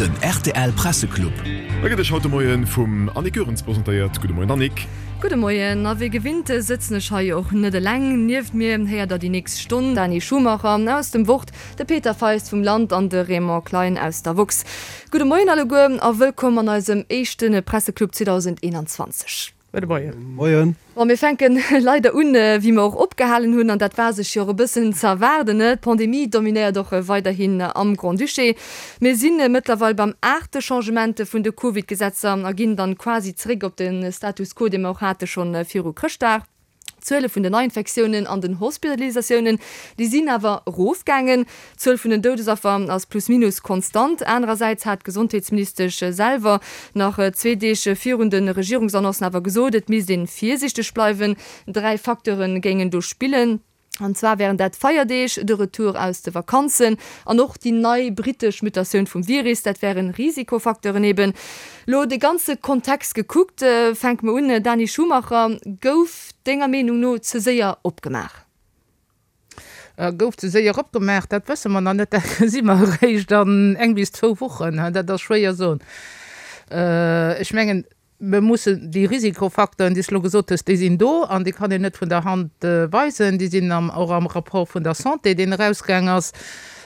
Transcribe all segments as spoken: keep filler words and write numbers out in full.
Den rtl Presseclub. E gëtt Iech haut de Moien vum Annick Goerens presentéiert. Gudde Moien Annick. Gudde Moien, a wéi gewinnt sëtzen ech hei och net eleng. Nieft mir héiert der déi nächst Stonn Dani Schumacher aus dem Wort, de Peter Feist vum Land an de Raymond Klein aus der woxx. Gudde Moien alleguer a wëllkomm an eisem éischte Presseclub zweedausendeenanzwanzeg. Gudde Moien. Moien. Bon, mir fänken leider un, wéi mer och opgehalen hunn, an dat war sech jo och e bëssen ze erwaarden, ne? D'Pandemie dominéiert och weiderhin am Grand-Duché. Mir si mëttlerweil beim aachte Changement vun de Covid-Gesetzer a ginn dann quasi zeréck op de Status quo, dee mer och hate schonn viru Chrëschtdag. D'Zuele vun den Neiinfektiounen an den Hospitalisatiounen, déi sinn awer erofgaangen. D'Zuel vun den Doudesaffer ass plus minus konstant. Anerersäits hat d'Gesondheetsministesch selwer nach zwee Deeg virun de Regierungsannoncen awer gesot, et misst ee virsiichteg bleiwen. Dräi Facteure géingen do spillen. An zwar wären dat d'Feierdeeg, de Retour aus de Vakanzen an och déi nei brittesch Mutatioun vum Virus. Dat wären Risikofacteuren eben. Lo de ganze Kontext gekuckt, fänke mer un, Dani Schumacher, gouf denger Meenung no ze séier opgemaach? Gouf ze séier opgemaach, dat wësse mer nach net, dat gesi mer eréischt an eng bis zwou Wochen. Dat ass schwéier soen. Ech mengen, Mir mussen déi Risikofacteuren, déi s de elo gesot hues, déi sinn do an déi kann een net vun der Hand weisen. Déi sinn am, och am Rapport vun der Santé, deen erausgaang ass.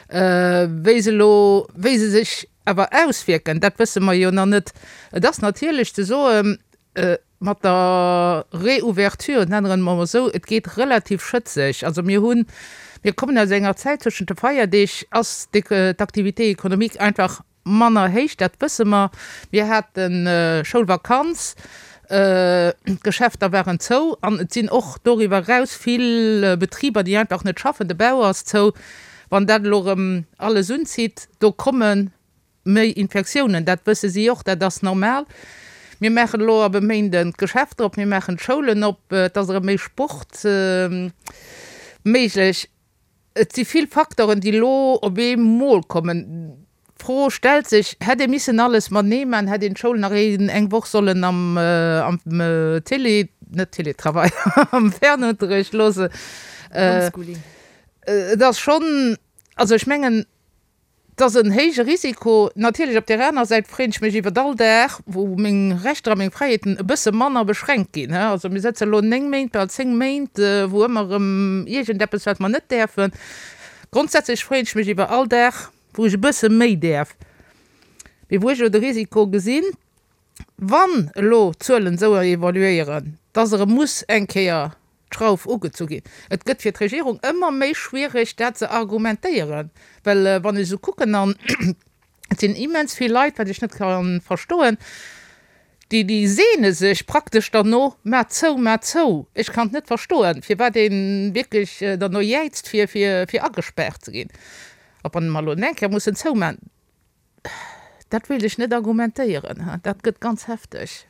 Wéi se elo, wéi se sech awer auswierken, dat wësse mer jo nach net. Et ass natierlech ze soen, mat der Reouverture, nennen mer et emol esou, et geet relativ schëtzeg. Also mir hunn, mir kommen aus enger Zäit, tëschent de Feierdeeg ass d'Activité économique einfach manner héich, dat wësse mer. Mir hate Schoulvakanz, d'Geschäfter waren zou an et sinn och doriwwer eraus vill Betriber, déi einfach net schaffen, de Bau ass zou. Wann dat elo erëm alles unzitt, do komme méi Infektiounen, dat wësse si och, dat ass normal. Mir maachen elo ab e Méinden d'Geschäfter op, mir maachen d'Schoulen op, et ass erëm méi Sport méiglech. Et si vill Facteuren, déi elo op eemol kommen. D'Fro stellt sech, Hätt ee missen alles matenee maachen? Hätt een d'Schoul nach eng Woch sollen am Télé, net Télétravail, am Fernunterricht loossen? Homeschooling. Et ass schonn, also ech mengen, et ass en héije Risiko. Natierlech op där aner Säit freeën ech mech iwwert all Dag, wou meng Rechter a meng Fräiheeten e bësse manner beschränkt ginn. Also mir sëtze elo néng Méint, bal zéng Méint, wou ëmmer erëm iergendeppes, wat mer net däerfen. Grondsätzlech freeën ech mech iwwer all Dag, wou ech e bësse méi däerf, mee wou ech elo de Risiko gesinn, wann elo d'Zuelen esou evoluéieren, dass erëm muss eng Kéier d'Schrauf ugezu ginn. Et gëtt fir d'Regierung ëmmer méi schwierig, dat ze argumentéieren, well wann ech esou kucken, an et sinn immens vill Leit, wat ech net ka verstoen, déi, déi sehne sech praktesch derno, Maat zou, maat zou! Ech kann et net verstoen, firwat ee wierklech derno jäizt, fir, fir, fir agespaart ze ginn. A wann mer elo eng Kéier mussen zoumachen, dat wéilt ech net argumentéieren, dat gëtt ganz hefteg.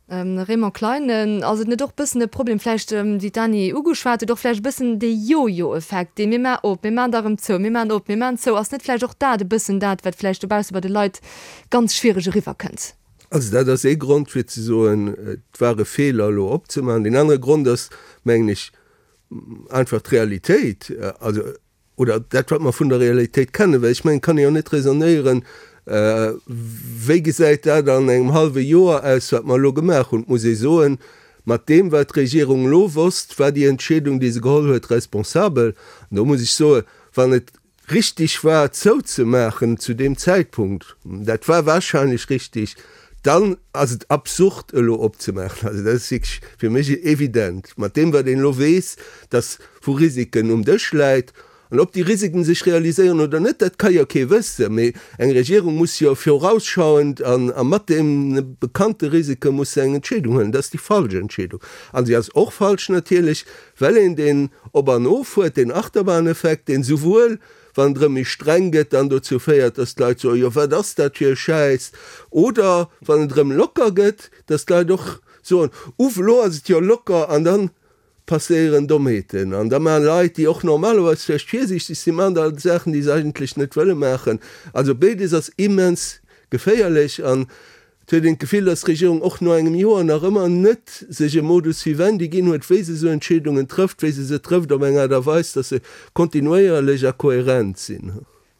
Raymond Klein, Ass et net och bëssen e Problem vläicht, wéi d'Dany ugeschwat huet, och vläicht e bëssen dee Jojo-Effekt, dee mir maachen op, mir maachen da erëm zou, mir maachen op, mir maachen zou, ass net vläicht och dat e bëssen dat, wat vläicht dobausse bei de Leit ganz schwiereg eriwwerkënnt? Also dat ass ee Grond fir ze soen, et war e Feeler elo opzemaachen. Deen anere Grond ass, mengen ech, einfach d'Realitéit, also oder dat wat mer vun der Realitéit kennen, well ech mengen, et kann ee jo net raisonnéieren, wéi gesäit dat an engem hallwe Joer aus, wat mer elo gemaach hunn. Et muss ee soen, mat deem wat d'Regierung elo wosst, war déi Entscheedung, déi se geholl huet, responsabel. An do muss ech soen, wann et richtig war zouzemaachen zu deem Zäitpunkt, dat war wahrscheinlech richtig, dann ass et absurd elo opzemaachen. Also dat ass wierklech fir mech evident, mat deem wat een elo weess, dass vu Risiken um Dësch läit. An ob déi Risiken sech realiséieren oder net, dat ka jo kee wëssen. Mee eng Regierung muss jo vorausschauend a mat deene bekannte Risike muss se eng Entscheedung huelen. Dat ass déi falsch Entscheedung. A si ass och falsch natierlech, well een deen Op an Of huet, deen Achterbahneffekt, deen souwuel wann et erëm méi streng gëtt, dann dozou féiert, dass d'Leit soen, jo wat ass dat fir e Schäiss, oder wann et erëm locker gëtt, dass d'Leit och soen, uff elo ass et jo locker, an dann passéieren Dommheeten an da maachen Leit, déi och normalerweis vläicht virsiichteg sinn, maachen da Saachen, déi se eigentlech net wëlle maachen. Also béides ass immens geféierlech an et huet een d'Gefill, dass d'Regierung och no engem Joer nach ëmmer net sech e Modus vivendi ginn huet, wéi se esou Entscheedungen trëfft, wéi se se trëfft op eng Aart a Weis, dass se kontinuéierlech a kohärent sinn.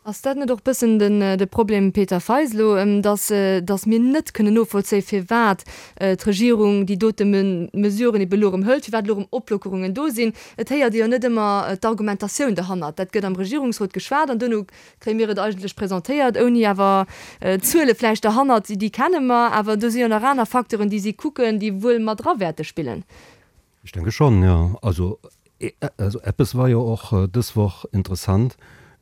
Ass dat net och bëssen den de Problem, Peter Feisel, elo, dass dass mir net kënnen novollzéien, firwat d'Regierung déi dote Mesuren ebe elo erëm hëlt, firwat elo erëm Oplockerungen do sinn? Et héiert ee jo net ëmmer d'Argumentatioun derhannert. Dat gëtt am Regierungsrot geschwat an duerno kréie mir et eigentlech presentéiert, ouni awer d'Zuele vläicht derhannert, déi kenne mer, awer do si jo nach aner Facteuren, déi si kucken, déi wuel mat dra wäerte spillen. Ech denke schonn, jo. Also, also eppes war jo och dës Woch interessant,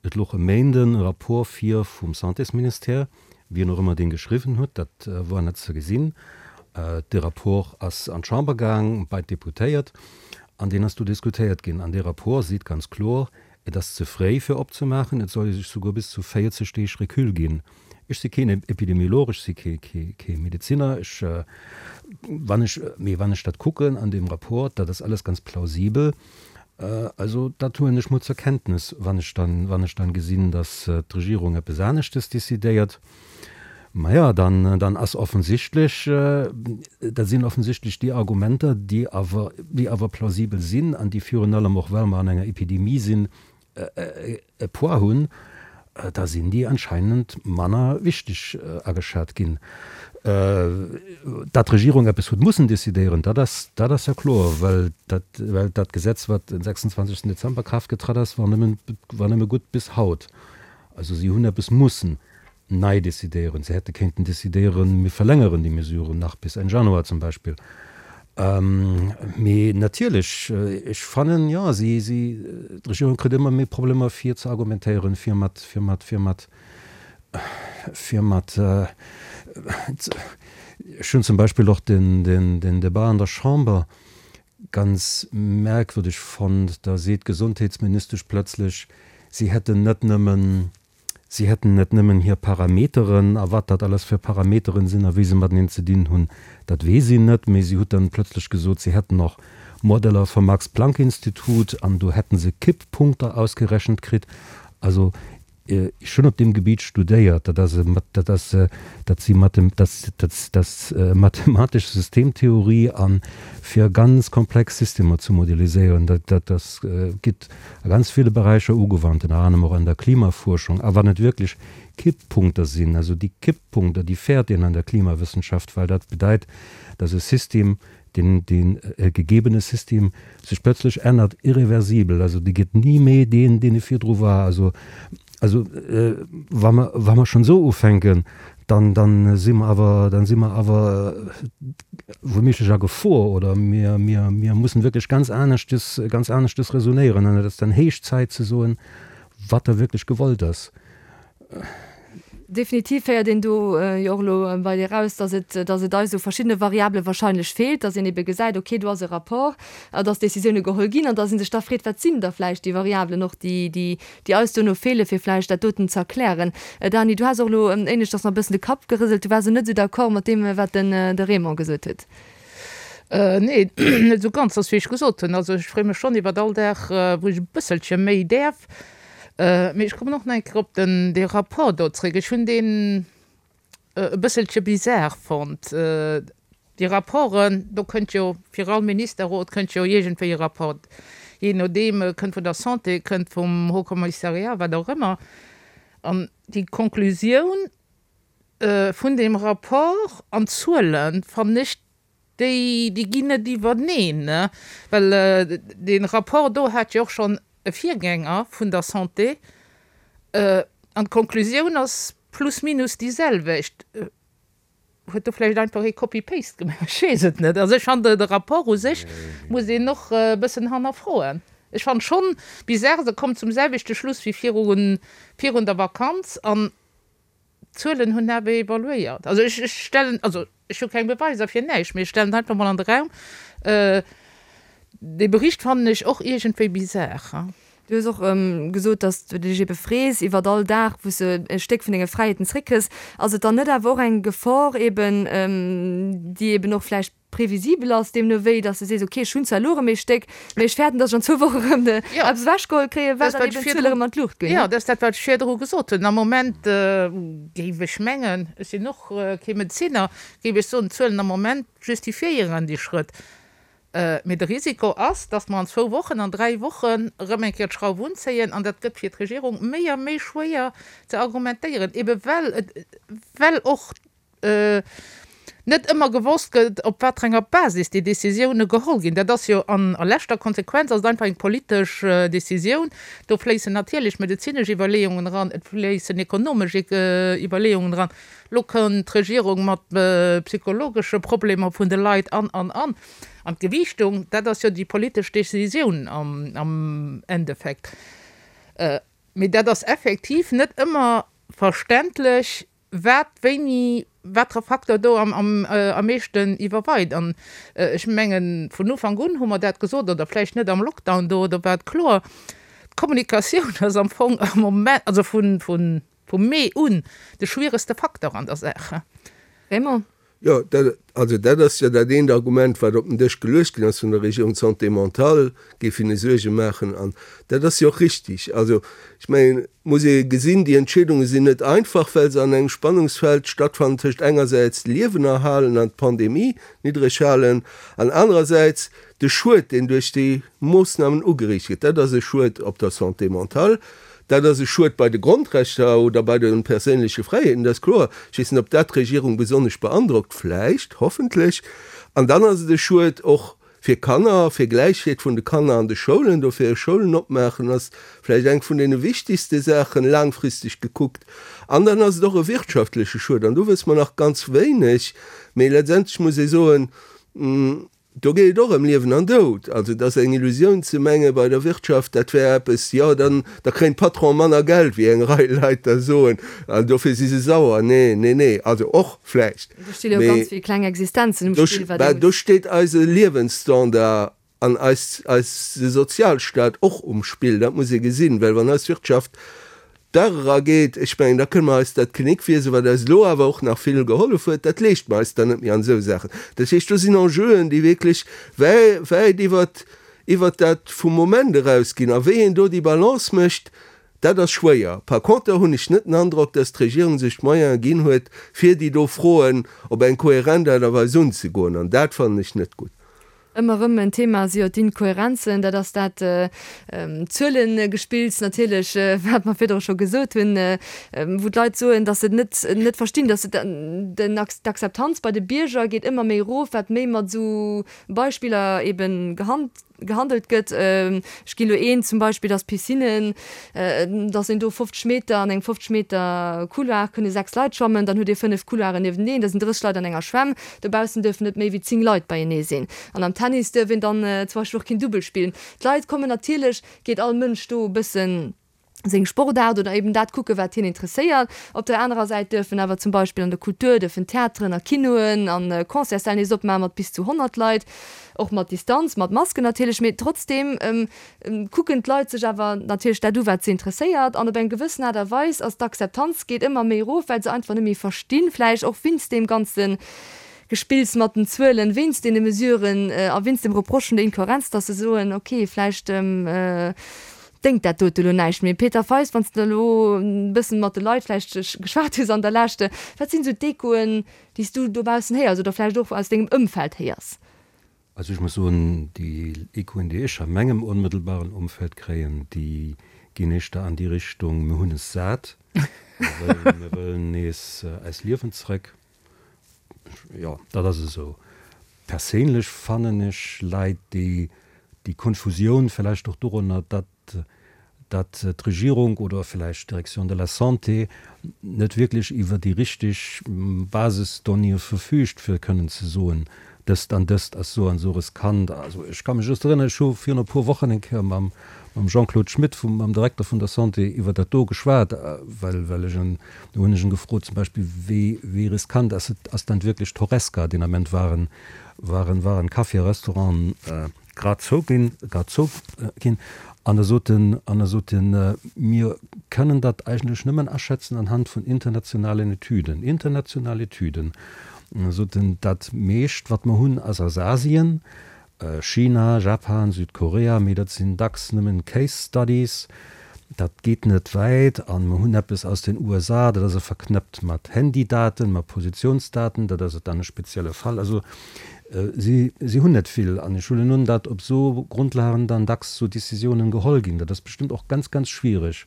Et louch e Méinden e Rapport vir vum Santésministère, wien och ëmmer deen geschriwwen huet, dat war net ze gesinn. Dee Rapport ass an d'Chamber gaang, bei d'Deputéiert, an deen ass do diskutéiert ginn. An dee Rapport seet ganz kloer, Et ass ze fréi fir opzemaachen, et soll ee sech souguer bis zu véierzeg Deeg Recul ginn. Ech si keen Epidemiolog, ech si kee Medeziner, ech, wann ech, mee wann ech dat kucken an deem Rapport, dat ass alles ganz plausibel. Also dat huelen ech mol zur Kenntnis, wann ech dann, wann ech dann gesinn, datt d'Regierung eppes aneschtes décidéiert. Maja, dann, dann ass offensichtlech, dat sinn offensichtlech déi Argumenter, déi awer, déi awer plausibel sinn an déi virun allem och, well mer an enger Epidemie sinn, e Poids hunn, da sinn déi anscheinend manner wichteg ageschat ginn. Datt d'Regierung eppes huet mussen decidéieren, dat ass, dat ass jo kloer, well dat, well dat Gesetz, wat den sechsundzwanzigsten Dezember Kraaft getratt ass, war nëmmen, war nëmme gutt bis haut. Also si hunn eppes mussen nei decidéieren. Se hätte kéinten decidéieren, mir verlängeren déi Mesuren nach bis Enn Januar zum Beispill. Mee natierlech, ech fannen, jo, si, si, d'Regierung kritt ëmmer méi Problemer fir ze argumentéieren, fir mat, fir mat, fir mat, fir mat, ech hunn zum Beispill och den, den, den Debat an der Chamber ganz merkwürdeg fonnt, da seet d'Gesondheetsministesch plötzlech, si hätten net nëmmen, Si hätten net nëmmen hir Parameteren, a wat dat alles fir Parameteren sinn a wéi se mateneen ze dinn hunn, dat weess een net, mee si hutt dann plötzlech gesot, si hätten och Modeller vum Max-Planck-Institut an do hätten se Kipppunkter ausgerechent kritt. Also ech hunn op deem Gebiet studéiert, dat ass, dat ass, dat si dat ass mathematesch Systemtheorie a fir ganz komplex Systemer ze modeliséieren, dat, dat ass, gitt a ganz ville Beräicher ugewannt, ënner anerem och an der Klimafuerschung. A wann et wierklech Kipppunkter sinn, also déi Kipppunkter, déi fäert een an der Klimawëssenschaft, well dat bedeit, dass e System, deen, deen e gegebene System sech plötzlech ännert, irreversibel, also dee gëtt ni méi deen, deen e virdru war. Also, also wa mer, wa mer schonn esou ufänken, dann, dann si mer awer, dann si mer awer wouméiglech a Gefor oder mir, mir, mir mussen wierklech ganz aneschtes, ganz aneschtes räsonéieren an et ass dann héich Zäit ze soen, wat da wierklech gewollt ass. Definitiv héiert een do jo och elo bei dir eraus, dass et, dass et eis u verschiddene Variabele wahrscheinlech feelt, dass een ebe gesäit, okay, do ass e Rapport, dass Décisioune geholl ginn an dass ee sech da freet, wat sinn da vläicht déi Variabelen och, déi, déi, déi eis duerno feelen, fir vläicht dat doten ze erklären. Dany, du has och elo éineschters nach e bëssen de Kapp gerëselt, du waars elo net esou d'accord mat deem, wat den, de Raymond gesot huet. Nee, net esou ganz, ass wéi ech gesot hunn. Also ech freeë mech schonn iwwert all Dag, wou ech e bësselche méi däerf. Mee ech kommen och nach eng Kéier op den, dee Rapport do zréck. Ech hunn deen e bësselche bizar fonnt. Déi Rapporten, do kënnt jo fir all Ministerrot kënnt jo iergendwéi e Rapport, jee nodeem, e kënnt vun der Santé, e kënnt vum Haut Commissariat, wat och ëmmer. An déi Konklusioun vun deem Rapport an d'Zuelen, fannen ech, Déi, déi ginn net iwwerneen, well dee Rapport do hat jo och schonn e Virgänger vun der Santé an d'Konklusioun ass plus minus déi selwecht. Huet do vläicht einfach ee Copy-paste gemaach? Ech weess et net. Also ech fannen, de Rapport u sech muss een och e bëssen hannerfroen. Ech fannen schonn bizarre, se kommt zum selwechte Schluss wéi virun, virun der Vakanz an D'Zuelen hunn awer evoluéiert. Also ech stellen, also ech hu keng Beweiser fir näischt, mee ech stellen et einfach mol an de Raum, dee Bericht fannen ech och iergendwéi bizar. Du hues och gesot, datt du dech ebe frees iwwert all Dag, wou s de e Stéck vun denge Fräiheeten zréckkriss. Ass et dann net awer och eng Gefor eben, déi eben och vläicht previsibel ass, deemno wéi, dass de sees, ok, ech hunn zwar elo erëm ee Stéck, mee ech fäerten, dass ech an zwou Woche erëm eppes ewechgeholl kréien, well dann eben d'Zuele erëm an d'Luucht ginn. Jo, dat ass dat, wat ech virdru gesot hunn. Am Moment géif ech mengen, ech sinn och kee Medezinner, géif ech soen, d'Zuelen am Moment justifiéieren déi Schrëtt. Mee de Risiko ass, datt mer an zwou Wochen, an dräi Wochen erëm eng Kéier d'Schrauf unzéien an dat gëtt fir d'Regierung méi a méi schwéier ze argumentéieren, ebe well et, well och net ëmmer gewosst gëtt, op wat fir enger Basis déi Décisioune geholl ginn. Dat ass jo an a leschter Konsequenz ass et einfach eng politesch Décisioun. Do fléissen natierlech medezinesch Iwwerleeungen eran, et fléissen ekonomesch Iwwerleeungen eran. Lo kënnt d'Regierung mat psychologesche Problemer vun de Leit an, an, an. An d'Gewiichtung, dat ass jo déi politesch Decisioun am Endeffekt. Mee dat ass effektiv net ëmmer verständlech, wat wéini, watere Facteur do am meeschten iwwerweit. An ech mengen, vun Ufank un hu mer dat gesot, oder vläicht net am Lockdown do, do war et kloer, d'Kommunikatioun ass am Fong am Moment, also vun vum Mee un, de schwieregste Facteur an der Saach. Raymond? Jo, dat, also dat ass jo dat eent Argument, wat op den Dësch geluecht ginn ass vun der Regierung, d'Santé mentale géif hinne Suerge maachen. An dat ass jo och richtig. Also ech mengen, et muss ee gesinn, déi Entscheedunge sinn net einfach, well se an engem Spannungsfeld stattfannen tëscht engersäits d'Liewen erhalen an d'Pandemie niddreg halen an anerersäits de Schued, deen duerch déi Moossnamen ugeriicht gëtt. Dat ass e Schued op der Santé mentale. Dat ass e Schued bei de Grondrechter oder bei de perséinleche Fräiheeten, dat ass kloer. Ech weess net, ob dat d'Regierung besonnesch beandrockt, vläicht, hoffentlech. An dann ass et e Schued och fir Kanner, fir Gläichheet vun de Kanner an de Schoulen. Dofir Schoulen opmaachen ass vläicht eng vun deene wichtigste Saachen, laangfristeg gekuckt. An dann ass et och e wirtschaftleche Schued. An do wësse mer nach ganz wéineg. Mee letztendlech muss ee soen, Do geet et och ëm Liewen an Doud. Also et ass eng Illusioun ze menge bei der Wirtschaft, dat wär eppes, jo dann da kréien d'Patronen manner Geld, wéi eng Rei Leit da soen, an dofir si se sauer. Nee, nee, nee, also och vläicht, Do sti jo ganz vill kleng Existenzen um Spill, wat mee ee do muss. steet eise Liewensstandard an eis, eise Sozialstaat och um Spill. Dat muss ee gesinn, well wann eis Wirtschaft Dag erageet, ech mengen, da kënne mer eis dat Kinnekwiese, wat eis elo awer och nach vill gehollef huet, dat leeschte mer eis dann net méi an esou Saachen. Dat heescht, do sinn Enjeuen, déi wierklech wäi, wäit iwwert, iwwert dat vum Moment erausginn. A wéi een do déi Balance mécht, dat ass schwéier. Par conter hunn ech net den Androck, dass d'Regierung sech d'Moyene ginn huet, fir déi do Froen op eng kohärent Aart a Weis unzegoen. An dat fannen ech net gutt. Ëmmer erëm en Thema si jo d'Inkohärenzen. Dat ass dat Zuelengespills natierlech, wat mer virdru scho gesot hunn, wou d'Leit soen, datt se et net, net verstinn, datt se den, d'Akzeptanz bei de Bierger geet ëmmer méi erof, wat méi mat esou Beispiller eben gehand, gehandelt gëtt. Ech ginn elo een zum Beispill, dass Piscinnen, dass een do fofzeg Meter, an engem fofzeg Meter Couloir kënne sechs Leit schwammen, dann hutt Dir fënnef Couloiren niewenteneen, da sinn drësseg Leit an enger Schwämm, dobaussen dierfen net méi wéi zéng Leit beienee sinn. An am Tennis dierf een dann zum Beispill och keen Dubbel spillen. D'Leit kommen natierlech, geet all Mënsch do e bëssen seng Sportaart oder eben dat kucken, wat hien interesséiert. Op der anerer Säit duerfen awer zum Beispill an der Kultur duerfen Theateren a Kinoen a Concertssäll nees opmaachen, mat bis zu honnert Leit, och mat Distanz, mat Masken natierlech, mee trotzdeem kucken d'Leit sech awer natierlech dat u, wat se interesséiert. An op eng gewëssen Aart a Weis ass d'Akzeptanz geet ëmmer méi erof, well se einfach net méi verstinn, vläicht och wéinst deem ganze Gespills mat den Zuelen, wéinst deene Mesuren a wéinst dem Reproche vun der Inkohärenz, dass se soen, okay, vläicht déngt dat dote elo näischt méi. Peter Feist, wann s de elo e bëssen mat de Leit vläicht geschwat hues an der Lescht, wat sinn esou d'Echoen, déi s du dobaussen héiers oder vläicht och aus dengem Ëmfeld héiers? Also ech muss soen, déi Echoen, déi ech a mengem onmëttelbaren Umfeld kréien, déi ginn éischter an déi Richtung, mir hunn es sat, mir wëllen nees eist Liewen zrëck. Jo, dat ass esou. Perséinlech fannen ech, läit déi déi Konfusioun vläicht och dorunner, datt datt d'Regierung oder vläicht d'Direction de la Santé net wierklech iwwer déi richteg Basisdonnéeë verfügt, fir kënnen ze soen, dëst an dëst ass esou an esou riskant. Also ech ka mech just erënneren, ech hu virun e puer Wochen eng Kéier mam mam Jean-Claude Schmit, vum, mam Direkter vun der Santé, iwwer dat do geschwat, well, well ech en, do hunn ech en gefrot zum Beispill, wéi, wéi riskant ass et, ass dann wierklech d'Horesca? Deen Ament waren, waren, waren Caféen, Restauranten grad zou ginn, grad zou ginn. An da sot en, an da sot en, mir kënnen dat eigentlech nëmmen aschätzen anhand vun internationalen Etüden, international Etüden. An da sot en, dat meescht, wat mer hunn, ass aus Asien, China, Japan, Südkorea, mee dat sinn dacks nëmmen Case Studies, dat geet net wäit. A mer hunn eppes aus den U S A, dat ass e verknëppt mat Handydaten, mat Positionsdaten, dat ass et dann e spezielle Fall. Also Si, si hunn net vill. An ech huelen un, datt op esou Grondlagen dann dacks esou Décisiounen geholl ginn. Dat ass bestëmmt och ganz, ganz schwierig.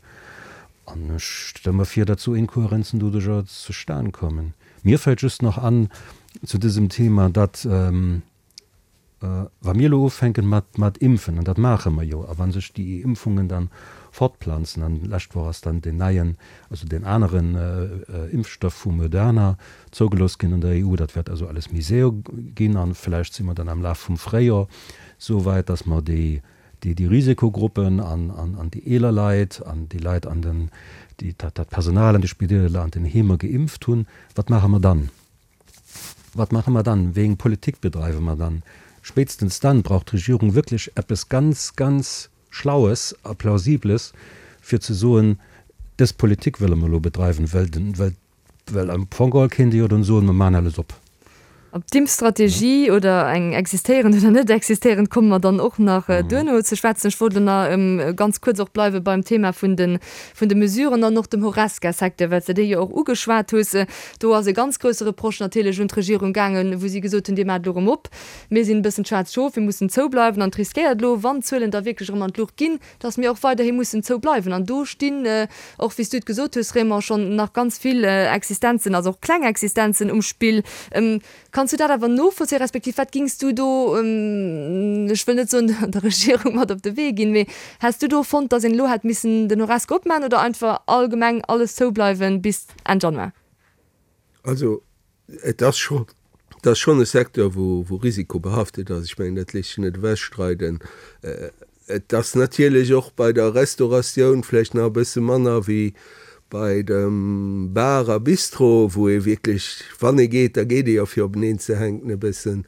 An ech stelle mer vir, datt esou Inkohärenzen doduercher zustan kommen. Mir fält just nach an zu dësem Thema, datt, Wa mir elo ufänken mat, mat impfen, an dat maache mer jo, a wa sech déi Impfungen dann fortplanzen, an d'lescht Woch ass dann deen neien, also deen aneren Impfstoff vu Moderna zougelooss ginn an der E U, dat wäert also alles méi séier ginn, a vläicht si mer dann am Laf vum Fréijor esou wäit, datt mer déi, déi, déi Risikogruppen an, an, an déi eeler Leit an déi Leit an den, déi, dat, dat Personal an de Spideeler an den Heemer geimpft hunn. Wat maache mer dann? Wat maache mer dann? Wéi eng Politik bedreiwe mer dann? Spéitstens dann braucht d'Regierung wierklech eppes ganz, ganz Schlaues a Plausibles, fir ze soen, Dës Politik wëlle mer elo bedreiwen, well den, well, well am Fong geholl kéint ee jo dann soen, mer maachen alles op. Op d'Impfstrategie oder eng existéierend oder net existéierend komme mer dann och nach duerno ze schwätzen. Ech wollt elo nach ganz kuerz och bleiwe beim Thema vun de, vun de Mesuren an och dem Horesca-Secteur, well s de dee jo och ugeschwat hues. Do ass e ganz grousse Reproche natierlech un d'Regierung gaangen, wou si gesot hunn, Dir maacht elo erëm op, mir sinn e bëssen d'schwaarzt Schof, mir mussen zoubleiwen. An et riskéiert elo, wann d'Zuelen da wierklech erëm an d'Luucht ginn, dass mir och weiderhi mussen zoubleiwen. An do stinn och, wéi s du et gesot hues, Raymond, schonn nach ganz vill Existenzen, also och kleng Existenzen um Spill. Kanns du dat awer novollzéien, respektiv wat gings du do, ech wëll net soen der Regierung mat op de Wee ginn, mee häss du do fonnt, datt een elo hätt missen den Horesca opmaachen oder einfach allgemeng alles zoubleiwen bis Enn Januar? Also et ass scho, et ass schonn e Secteur, wou risikobehaftet ass. Ech mengen, dat léisst sech net ewechstreiden. Et ass natierlech och bei der Restauratioun vläicht nach e bësse manner wéi bei dem Bar a Bistro, wou ee wierklech, wann ee geet, da geet ee jo fir openeen ze hänken e bëssen.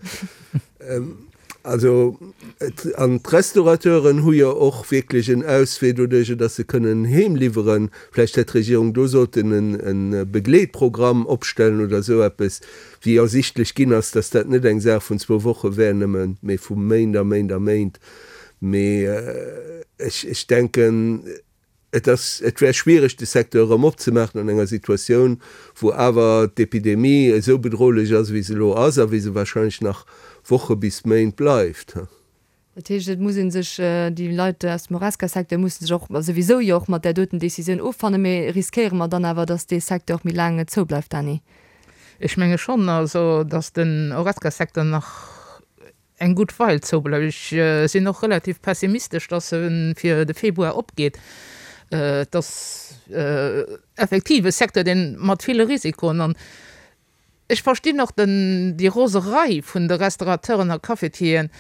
Also et, an d'Restaurateuren hu jo och wierklech en Auswee doduerjer, datt se kënnen heem liwweren. Vläicht hätt d'Regierung do sollten e Begleetprogramm opstellen oder esou eppes, wéi ersichtlech ginn ass, datt dat net eng Saach vun zwou Woche wär nëmmen, mee vu Méint a Méint a Méint. Mee ech, ech denken, et ass, et wär schwiereg, de Secteur erëm opzemaachen an enger Situatioun, wou awer d'Epidemie esou bedrohlech ass, wéi se elo ass a wéi se wahrscheinlech nach Woche bis Méint bleift. Dat heescht, et muss ee sech, déi Leit aus dem Horesca-Secteur musse sech och, a souwisou jo och mat där doten Décisioun offannen. Mee riskéiere mer dann awer, datt dee Secteur och méi laang zoubleift, Dany? Ech menge schonn, also datt den Horesca-Secteur nach eng gutt Weil zoubleift. Ech sinn och relativ pessimistesch, dass e fir de Februar opgeet. Et ass effektiv e Secteur, dee mat ville Risikoen, an ech verstinn och den, déi Roserei vun de Restaurateuren a Cafetieren.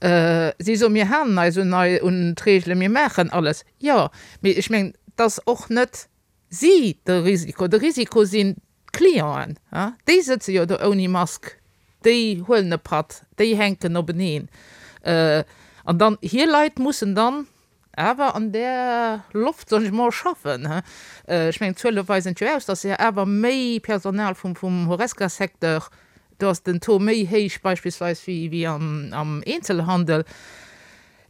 Si soen, mir halen eis un un d'Reegelen, mir maachen alles. Jo, mee ech mengen, et ass och net si de Risiko. De Risiko sinn D'Clienten, déi sëtze jo do ouni Mask, déi huelen e Patt, déi hänken openeen. An dann hir Leit mussen dann awer an där Loft, soen ech mol, schaffen. Ech mengen, d'Zuele weisen et jo aus, datt jo awer méi Personal vum Horesca-Secteur, do ass den Taux méi héich beispillsweis wéi am Eenzelhandel.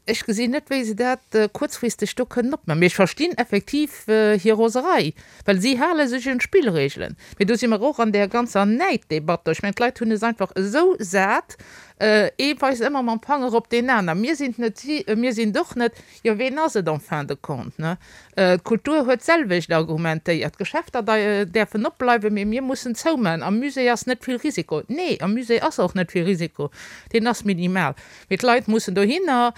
Ech gesinn net, wéi se dat kuerzfristeg do kënnen opmachen. Mee ech verstinn effektiv hir Roserei, well si hale sech un d'Spillregelen. Mee do si mer och an där ganzer Näiddebatt do. Ech mengen, d'Leit hunn es einfach esou sat, ee weist ëmmer mam Fanger op deen aner, Mir sinn et net, si, mir sinn et och net. Jo, ween ass et en fin de compte, ne? D'Kultur huet d'selwecht argumentéiert, D'Geschäfter däerfen opbleiwen, mee mir mussen zoumaachen. Am Musée ass net vill Risiko. Nee, am Musée ass och net vill Risiko, deen ass minimal. Mee d'Leit mussen dohinner.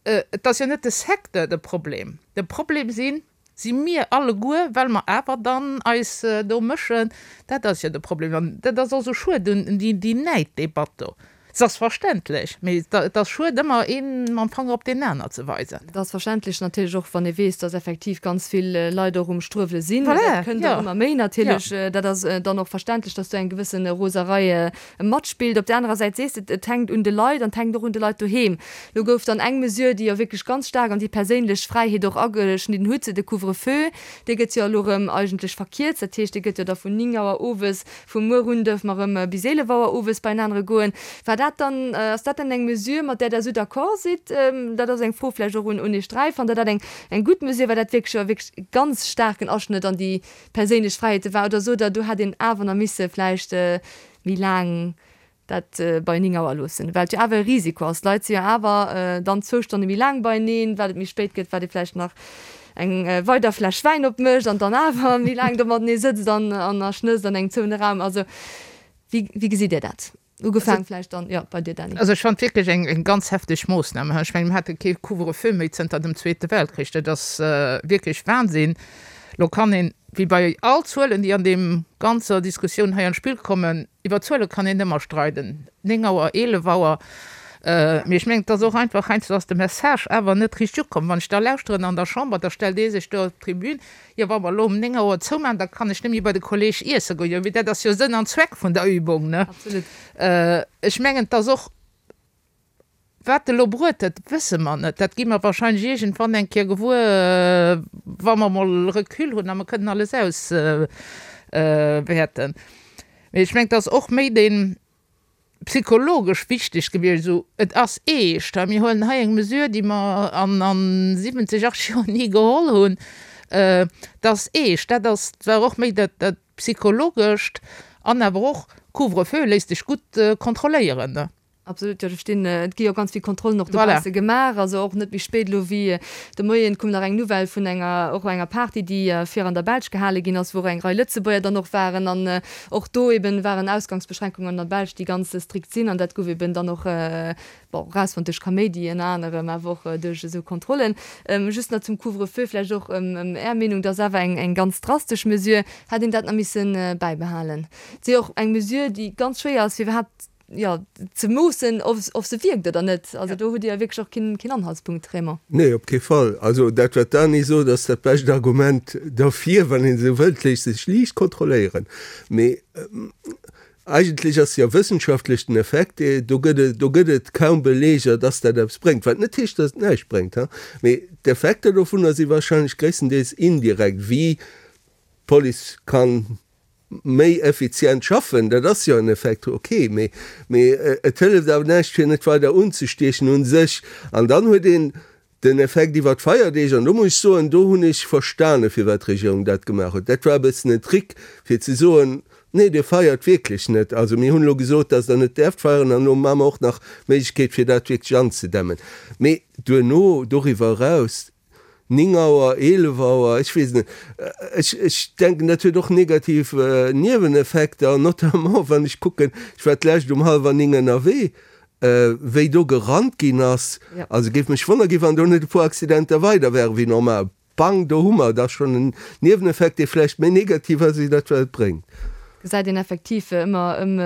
Et ass jo net de Secteur de Problem. De Problem sinn, si mir alleguer, well mer awer dann eis do mëschen. Dat ass jo de Problem. An dat ass och esou schued un déi Näiddebatt do. Se ass verständlech, mee et ass schued, ëmmer ee mam Fanger op deen aner ze weisen. Et ass verständlech natierlech och, wann ee weess, dass effektiv ganz vill Leit och um Struewele sinn. Dat kënnt och ëmmer méi natierlech. Dat ass dann och verständlech, dass do eng gewësse Roserei matspillt. Op där anerer Säit sees de, et hänkt un de Leit an et hänkt och un de Leit doheem. Lo gouf dann eng Mesure, déi jo wierklech ganz staark an déi perséinlech Fräiheet och ageschnidden huet, de Couvre-feu, dee gëtt jo elo erëm eigentlech verkierzt. Dat heescht, dee gëtt jo da vun néng Auer owes, vu muer un dierfe mer erëm bis eelef Auer owes beienanere goen. War dat dann, ass dat dann eng Mesure, mat där Der esou d'accord sidd? Dat ass eng Fro vläicht och un Iech dräi. Fannt Der dat eng eng gutt Mesure, well dat wierklech e wierklech ganz staarken Aschnëtt an déi perséinlech Fräiheete war? Oder sot Der, do hätt een awer nach misse vläicht méi laang dat bei néng Auer loossen, well et jo awer e Risiko ass. D'Leit si jo awer dann zwou Stonne méi laang beieneen, wat et méi spéit gëtt, wat ee vläicht nach eng weider Fläsch Wäin opmécht an dann awer méi laang do matenee sëtzt an a schnësst an engem zouene Raum. Also wéi, wéi gesitt Dir dat? Ugefaang vläicht dann, jo, bei dir, Dany. Also ech fannen et wierklech eng, eng ganz hefteg Moossnam. Ech mengen, mir hate kee Couvre-feu méi zënter dem Zweete Weltkrich. Dat ass wierklech Wahnsinn. Lo kann een, wéi bei all Zuelen, déi an deem ganzer Diskussioun hei an d'Spill kommen, iwwer Zuele kann een ëmmer streiden, néng Auer, eelef Auer, mee ech mengen, et ass och einfach, heiansdo ass de Message awer net richteg ukomm. Wann ech da lauschteren an der Chamber, da stellt ee sech do op d'Tribün, jo wa mer elo um néng Auer zoumaachen, da kann ech net méi bei de Kolleeg iesse goen. Jo, mee dat ass jo Sënn an Zweck vun der Übung, ne? Ech mengen, et ass och, Wat elo bruet huet, wësse mer net. Dat gi mer wahrscheinlech iergendwann eng Kéier gewuer, wa mer emol Recul hunn a mer kënnen alles auswäerten. Mee ech mengen, et ass och méi dee psychologesch wichteg gewiescht, esou, et ass eescht, mir huelen hei eng Mesure, déi mer an siwwenzeg, achtzeg Joer ni geholl hunn, et ass eescht. Dat ass, war och méi dat Psychologescht an awer och, Couvre-feu léisst sech gutt kontrolléieren. Absolut, jo, do stinn, et gi jo ganz vill Kontrollen och dobausse gemaach, also och net méi spéit elo wéi de Moien koum nach eng Nouvelle vun enger, och enger Party, déi vir an der Belsch gehale ginn ass, wou och eng Rei Lëtzebuerger dann och waren an och do eben waren Ausgangsbeschränkungen an der Belsch, déi ganz strikt sinn an dat gouf eben dann och, bon, erausfonnt duerch Kaméidi ënner anerem, awer och duerch esou Kontrollen. Just nach zum Couvre-feu vläicht och Är Meenung, dat ass awer eng, eng ganz drastesch Mesure. Hätt een dat nach misse bäibehalen? Et si jo och eng Mesure, déi ganz schwéier ass fir iwwerhaapt jo, ze moossen, ob se wierkt oder net. Also do hutt Dir jo wierklech och keen, keen Anhaltspunkt, Raymond. Nee, op kee Fall. Also dat, wat d'Dany sot, ass dat bescht Argument derfir, wann een esou wëllt, léisst sech liicht kontrolléieren. Mee eigentlech ass jo wëssenschaftlech den Effekt, do gëtt et, do gëtt et kaum Beleger, dass dat eppes bréngt. Wat net heescht, dass et näischt bréngt, ha. Mee d'Effekter dovunner si wahrscheinlech gréisstendeels indirekt, wéi d'Police kann méi effizient schaffen, dat ass jo en Effekt, ok, mee, mee et hëlleft awer näischt fir net weider unzestiechen u sech. An dann huet een den Effekt iwwer d'Feierdeeg, an do muss ech soen, do hunn ech verstane firwat d'Regierung dat gemaach huet. Dat war e bëssen en Trick fir ze soen, nee Dir feiert wierklech net, also mir hunn elo gesot, datt Der net däerft feieren an elo maache mer och nach d'Méiglechkeet fir dat wierklech anzedämmen. Mee duerno, doriwwer eraus, Néng Auer, eelef Auer, ech weess net. Ech, ech denken, dat huet och negativ Nieweneffekter, notamment wann ech kucken, ech war d'lescht um hallwer néng ënnerwee, wéi do gerannt ginn ass. Also géif mech wonnere gi wann do net e puer Accidenter weider wäre wéi normal. Bang, do hu mer da schonn en Nieweneffekt, dee vläicht méi negativ ass wéi dat wat et bréngt. Gesäit een effektiv ëmmer ëm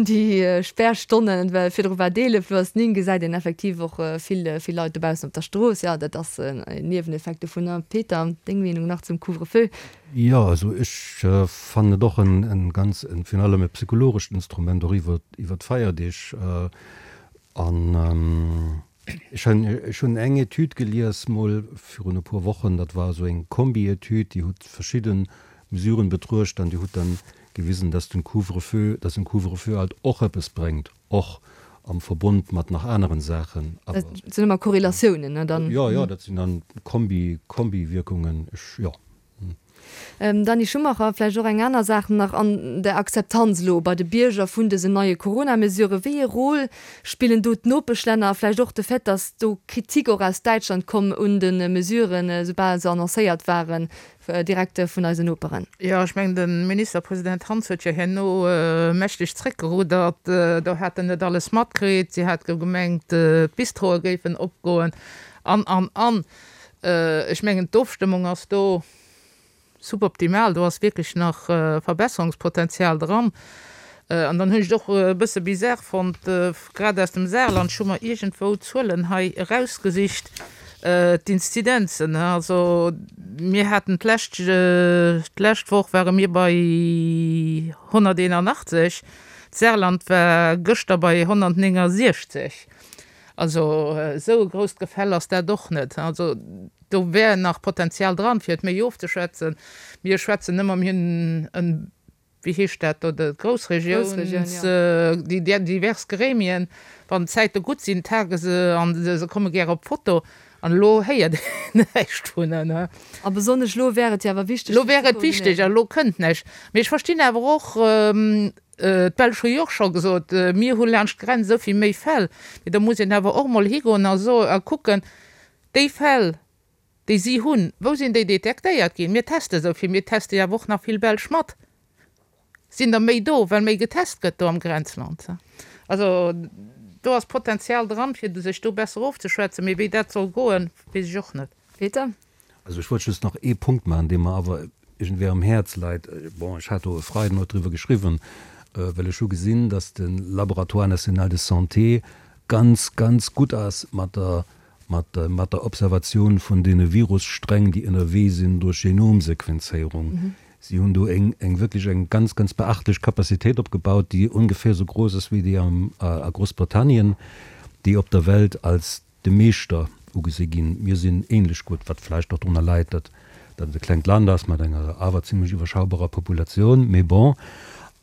déi Spärstonnen, well virdru war d'eelef, elo ass néng, gesäit een effektiv och vill, vill Leit dobaussen op der Strooss. Jo, dat ass en Nieweneffekt dovunner. Peter, deng Meenung nach zum Couvre-feu? Jo, also ech fannen et och en ganz, virun allem e psychologescht Instrument och iwwer, iwwer d'Feierdeeg. An ech hunn, ech hunn eng Etüd gelies mol virun e puer Wochen, dat war esou eng Kombi-Etüd, déi huet verschidde Mesuren betruecht an déi huet dann gewisen, dass den Couvre-feu, dass en Couvre-feu halt och eppes bréngt, och am Verbund mat nach aneren Saachen, awer. Dat sinn ëmmer Korrelatiounen, ne, dann. Jo, jo, dat sinn dann Kombi, Kombi-Wierkungen, ech, jo. Dany Schumacher, Vläicht och eng aner Saach nach an der Akzeptanz elo bei de Bierger vun dësen neie Corona-Mesuren. Wéi ee Rôle spillen do d'Nopeschlänner a vläicht och de Fait, dass do Kritik och aus Däitschland komm un de Mesuren, soubal se annoncéiert waren, direkt vun eisen Noperen? Jo, ech mengen, de Ministerpresident Hans huet jo herno mächteg zréckgerudert. Do hat en net alles matkritt. Si hat gemengt, d'Bistroe géifen opgoen an, an, an. Ech mengen, d'Ofstëmmung ass do suboptimal, do ass wierklech nach Verbesserungspotenzial dran. An dann hunn ech et och e bësse bizarre fonnt, grad aus dem Saarland, ech hu mer iergendwou Zuelen hei erausgesicht, d'Inzidenzen, also mir haten d'lescht, d'lescht Woch ware mir bei honnerteenanachtzeg, d'Saarland war gëschter bei honnertnéngasiechzeg. Also esou e grousst Gefäll ass dat och net. Also do wär nach Potenzial dran, fir et méi ofzeschwätzen. Mir schwätzen ëmmer, mir hunn en, wéi heescht dat do, de Groussregiouns, déi divers Gremien, wann d'Zäite gutt sinn, tage se an se komme gär op d'Foto. An elo héiert een näischt vun en. A besonnesch elo wär et jo awer wichteg, Elo wär et wichteg a elo kënnt näischt. Mee ech verstinn awer och, d'Belsch hu jo och scho gesot, mir hu laanscht d'Grenz esou vill méi Fäll. Mee da muss een awer och emol higoen a soen a kucken, déi Fäll, déi si hunn, wou sinn déi detektéiert ginn? Mir teste esou vill, mir teste jo awer och nach vill Belsch mat. Sinn der méi do, well méi getest gëtt do am Grenzland? Also do ass Potenzial dran, fir sech do besser ofzeschwätzen, mee wéi dat soll goen, weess ech och net. Peter? Also ech wollt just nach ee Punkt maachen, dee mer awer iergendwéi am Häerz läit. Bon, ech hat do e Freiden och driwwer geschriwwen, well ech hu gesinn, datt de Laboratoire national de santé ganz, ganz gutt ass mat der, mat der, mat der Observatioun vun deene Virussträng, déi ënnerwee sinn duerch Genomsequenzéierung. Si hunn do eng, eng wierklech eng ganz, ganz beachtlech Capacitéit opgebaut, déi ongeféier esou grouss ass wéi déi am, a Groussbritannien, déi op der Welt als de Meeschter ugesi ginn. Mir sinn ähnlech gutt, wat vläicht och drunner läit, datt dat et e klengt Land ass mat enger awer zimlech iwwerschaubarer Populatioun, mee bon.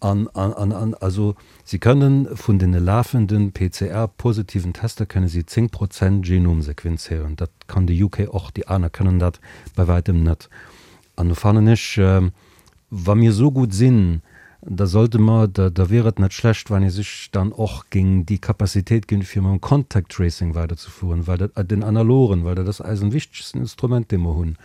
An, an, an, an also si kënnen vun deene lafenden P C R-positiven Tester kënne si zéng Prozent Genom sequenzéieren. Dat kann de U K och, déi aner kënnen dat bei wäitem net. An do fannen ech, wa mir esou gutt sinn, da sollte mer, da, da wier et net schlecht, wann ee sech dann och géing déi Capacitéit ginn, fir mam Contact Tracing weiderzefueren, well dat, den analogen, well dat ass eisen wichtegsten Instrument, dee mer hunn.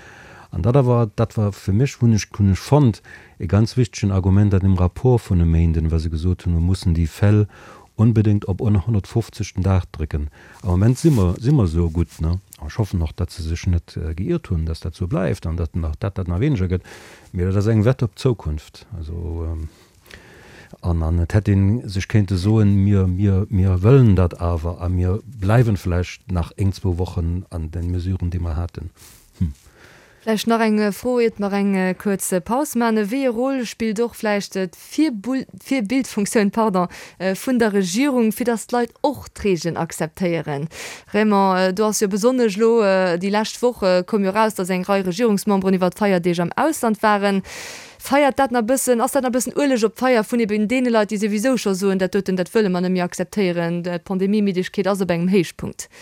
An dat awer, dat war fir mech, hunn ech, hunn ech fonnt, e ganz wichtegen Argument an dem Rapport vun e Méinden, wa se gesot hunn, mer mussen déi Fäll unbedéngt op hundertfünfzig den Dag drécken. Am Moment si mer, si mer esou gutt, ne? An ech hoffen och, datt se sech net geiert hunn, datt dat esou bleift an datt nach, datt dat nach weniger gëtt. Mee dat ass eng Wett op d'Zukunft. Also, an, an et hätt ee sech kéinte soen, mir, mir, mir wëllen dat awer a mir bleiwen vläicht nach eng, zwou Wochen an den Mesuren, déi mer haten. Hm. Vläicht nach eng Fro, iert mer eng kuerz Paus maachen. Wéi e Rôle spillt och vläicht d'Virbildfunktioun, pardon, vun der Regierung, fir datt d'Leit och d'Reegelen akzeptéieren? Raymond, do ass jo besonnesch elo déi lescht Woch koum jo eraus, datt eng Rei Regierungsmemberen iwwer d'Feierdeeg am Ausland waren. Feiert dat nach e bëssen, ass dat nach e bëssen Ueleg op d'Feier vun eben deene Leit, déi souwisou scho soen, dat doten, dat wëlle mer net méi akzeptéieren, d'Pandemiemiddegkeet ass op engem Héichpunkt?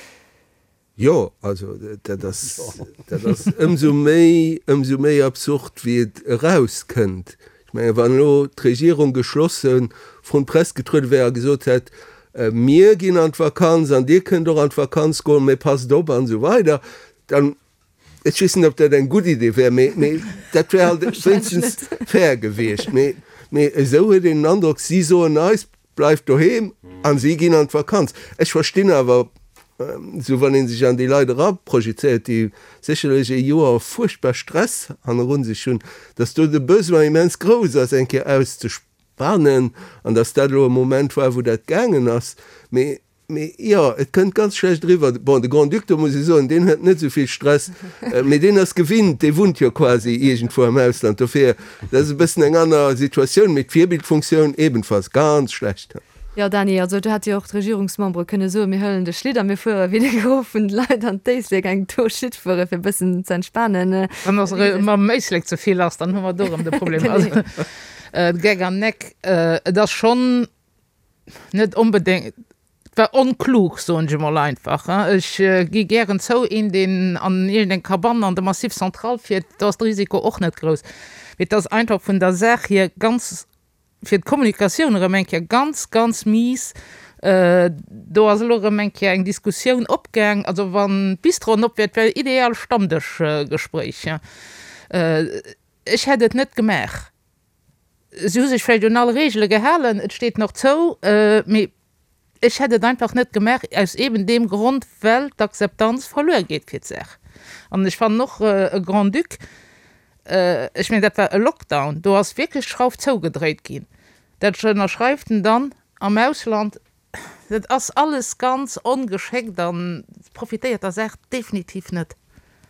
Jo, also dat ass, dat ass ëmsou méi, ëmsou méi absurd, wéi et erauskënnt. Ech menge wann elo d'Regierung geschlosse vrun d'Press getruede wär a gesot hätt, mir ginn an d'Vakanz an Dir kënnt och an d'Vakanz goen, mee passt op an esou weider, dann, ech weess net, ob dat eng gutt Idee wär, mee, mee dat wär halt wéinstens fair gewiescht. Mee, mee esou huet een den Androck, si soen eis, bleift doheem an si ginn an d'Vakanz. Ech verstinn awer, esou wann ee sech an déi Leit eraprojezéiert, déi sécherlech e Joer fuerchtbar Stress hannerun sech hunn, datt do de Besoin immens grouss ass, eng Kéier auszespanen an datt dat elo e Moment war, wou dat gaangen ass. Mee, mee jo, et kënnt ganz schlecht eriwwer. Bon, de Grand-Duc, do muss ech soen, deen huet net esou vill Stress, mee deen ass gewinnt, dee wunnt jo quasi iergendwou am Ausland. Dofir, dat ass e bëssen eng aner Situatioun, mee d'Virbildfunktioun ebenfalls ganz schlecht. Jo, Dany, also do hätt jo och d'Regierungsmembere kënne soen, mir huelen de Schlitt a mir fuere wéi de Gros vun de Leit an d'Éislek eng Tour Schlitt fuere fir e bëssen ze entspanen. Wann ass erëm mam Éislek ze vill ass, dann hu mer do erëm de Problem. Also, Geck an Neck, et ass schonn net onbedéngt, et war onklug, soen ech emol einfach. Ech gi gären zou, een, deen an iergendeng Cabane an de Massif Central fiert, do ass de Risiko och net grouss. Mee et ass einfach vun der Saach hier ganz, fir d'Kommunikatioun erëm eng Kéier ganz, ganz mies. Do ass elo erëm eng Kéier eng Diskussioun opgaang. Also wann d'Bistroen op wäert, wär ideal Stammdëschgespréich. Ech hätt et net gemaach. Si hu sech vläicht un all Reegele gehalen, et steet nach zou, mee ech hätt et einfach net gemaach, aus eben deem Grond, well d'Akzeptanz verluer geet fir d'Saach. An ech fannen och e Grand-Duc, ech mengen, dat war e Lockdown, do ass wierklech d'Schrauf zougedréit ginn. Dat ënnerschreift en dann am Ausland. Dat ass alles ganz ongeschéckt an profitéiert der Saach definitiv net.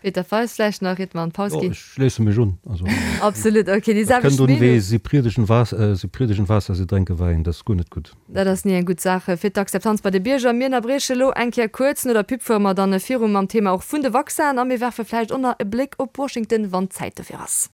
Peter Feist, vläicht nach, iert mer an d'Paus Jo, ginn. ech schléisse mech un. Also, Absolut, okay, déi dat selwecht kënnt un wéi Meenung. si priedegen Waas-, si priedegen Waasser, si drénke Wäin, dat ass guer net gutt. Dat ass ni eng gutt Saach fir d'Akzeptanz bei de Bierger. Mir ënnerbrieche elo eng Kéier kuerz. No der Pub fuere mer dann viru mam Thema och vun de Vaccinen a mir werfe vläicht och nach e Bléck op Washington, wann d'Zäit dofir ass.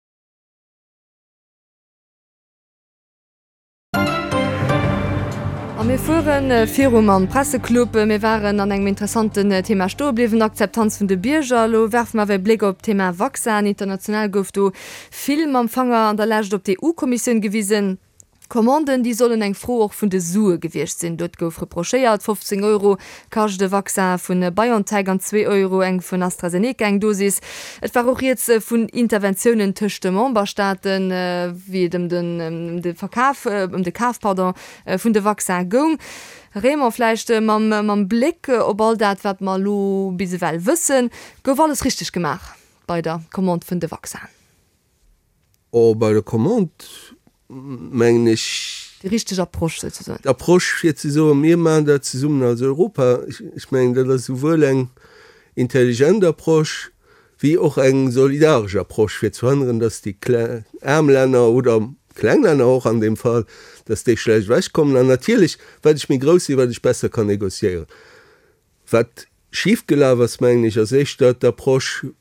A mir fuere viru mam Presseclub. Mir waren an engem interessanten Thema stoe bliwwen, Akzeptanz vun de Bierger. Elo werfe mer awer e Bléck op d'Thema Vaccin. International gouf do vill mam Fanger an der Lescht op d'EU-Kommissioun gewisen. D'Commanden, déi sollen eng Fro och vun de Sue gewiescht sinn. Dot gouf reprochéiert, fofzéng Euro kascht e Vaccin vu BioNTech an zwee Euro eng vun AstraZeneca eng Dosis. Et war och rieds vun Interventiounen tëscht de Memberstaaten, wéi et ëm den de Verkaf, ëm de Kaf, pardon, vun de Vaccin goung. Raymond, vläicht mam mam Bléck op all dat, wat mer elo bis ewell wëssen, gouf alles richteg gemaach bei der Commande vun de Vaccinen? Oh, bei der Commande mengen ech. Déi richteg Approche souzesoen. D'Approche fir ze soen, mir maachen dat zesummen als Europa, ech mengen, dat ass souwuel eng intelligent Approche wéi och eng solidaresch Approche, fir ze verhënneren, datt déi aarm Länner oder kleng Länner och an deem Fall, datt déi schlecht ewechkommen. An natierlech, wat ech méi grouss sinn, wat ech besser kann négociéieren. Wat schif gelaf ass, mengen ech, ass éischter d'Approche,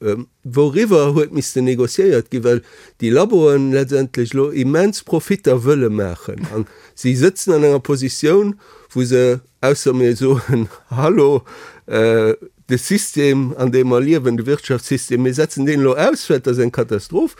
wouriwwer huet missten négociéiert ginn, well déi Laboen letztendlech elo immens Profitter wëlle maachen. A si sëtzen an enger Positioun, wou se, ausser mir soen, Hallo, de System, an deem mer liewen, de Wirtschaftssystem, mir setzen deen elo aus, well et ass eng Katastroph,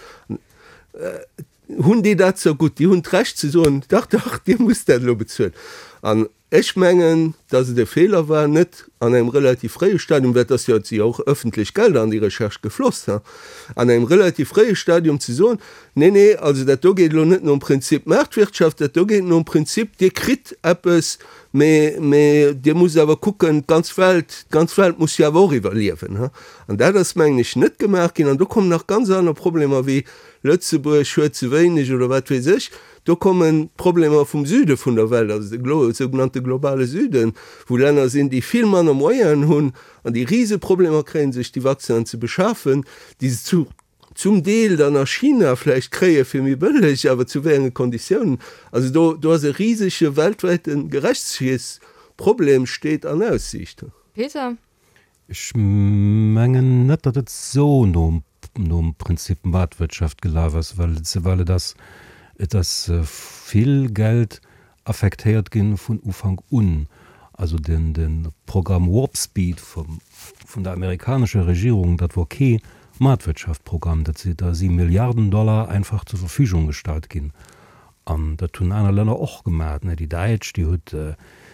hunn déi dat zergutt. Déi hunn d'Recht ze soen, Dach, dach, Dir musst dat elo bezuelen. An ech mengen, dass et e Feeler war, net an engem relativ fréie Stadium, well et ass jo, et si jo och ëffentlech Gelder an déi Recherche gefloss, an engem relativ fréie Stadium ze soen, Nee, nee, also dat do geet elo net nom Prinzip Maartwirtschaft, dat do geet nom Prinzip, Dir kritt eppes, mee, mee Dir musst awer kucken, d'ganz Welt, d'ganz Welt muss jo awer och iwwerliewen. An dat ass, mengen ech, net gemaach ginn. An do kommen nach ganz aner Problemer wéi Lëtzebuerg huet ze wéineg oder wat weess ech. Do kommen d'Problemer vum Süde vun der Welt, also de sougenannte globale Süden, wou Länner sinn, déi vill manner Moyenen hunn an déi Riseproblemer kréien, sech déi Vaccinen ze beschafen, déi se zu zum Deel dann a China vläicht kréie fir méi bëlleg, awer zu wéi enge Konditiounen. Also do, do ass e risege weltwäite Gerechtegkeetsproblem steet an Aussiicht. Peter? Ech mengen net, datt et esou nom nom Prinzip Maartwirtschaft gelaf ass, well well et ass et ass vill Geld affektéiert ginn vun Ufank un. Also den de Programm Warp Speed vum vun der amerikanescher Regierung, dat wor kee Maartwirtschaftprogramm, dat si da si Milliarden Dollar einfach zur Verfügung gestallt ginn. An dat hunn aner Länner och gemaat, ne. Déi Däitsch, déi huet,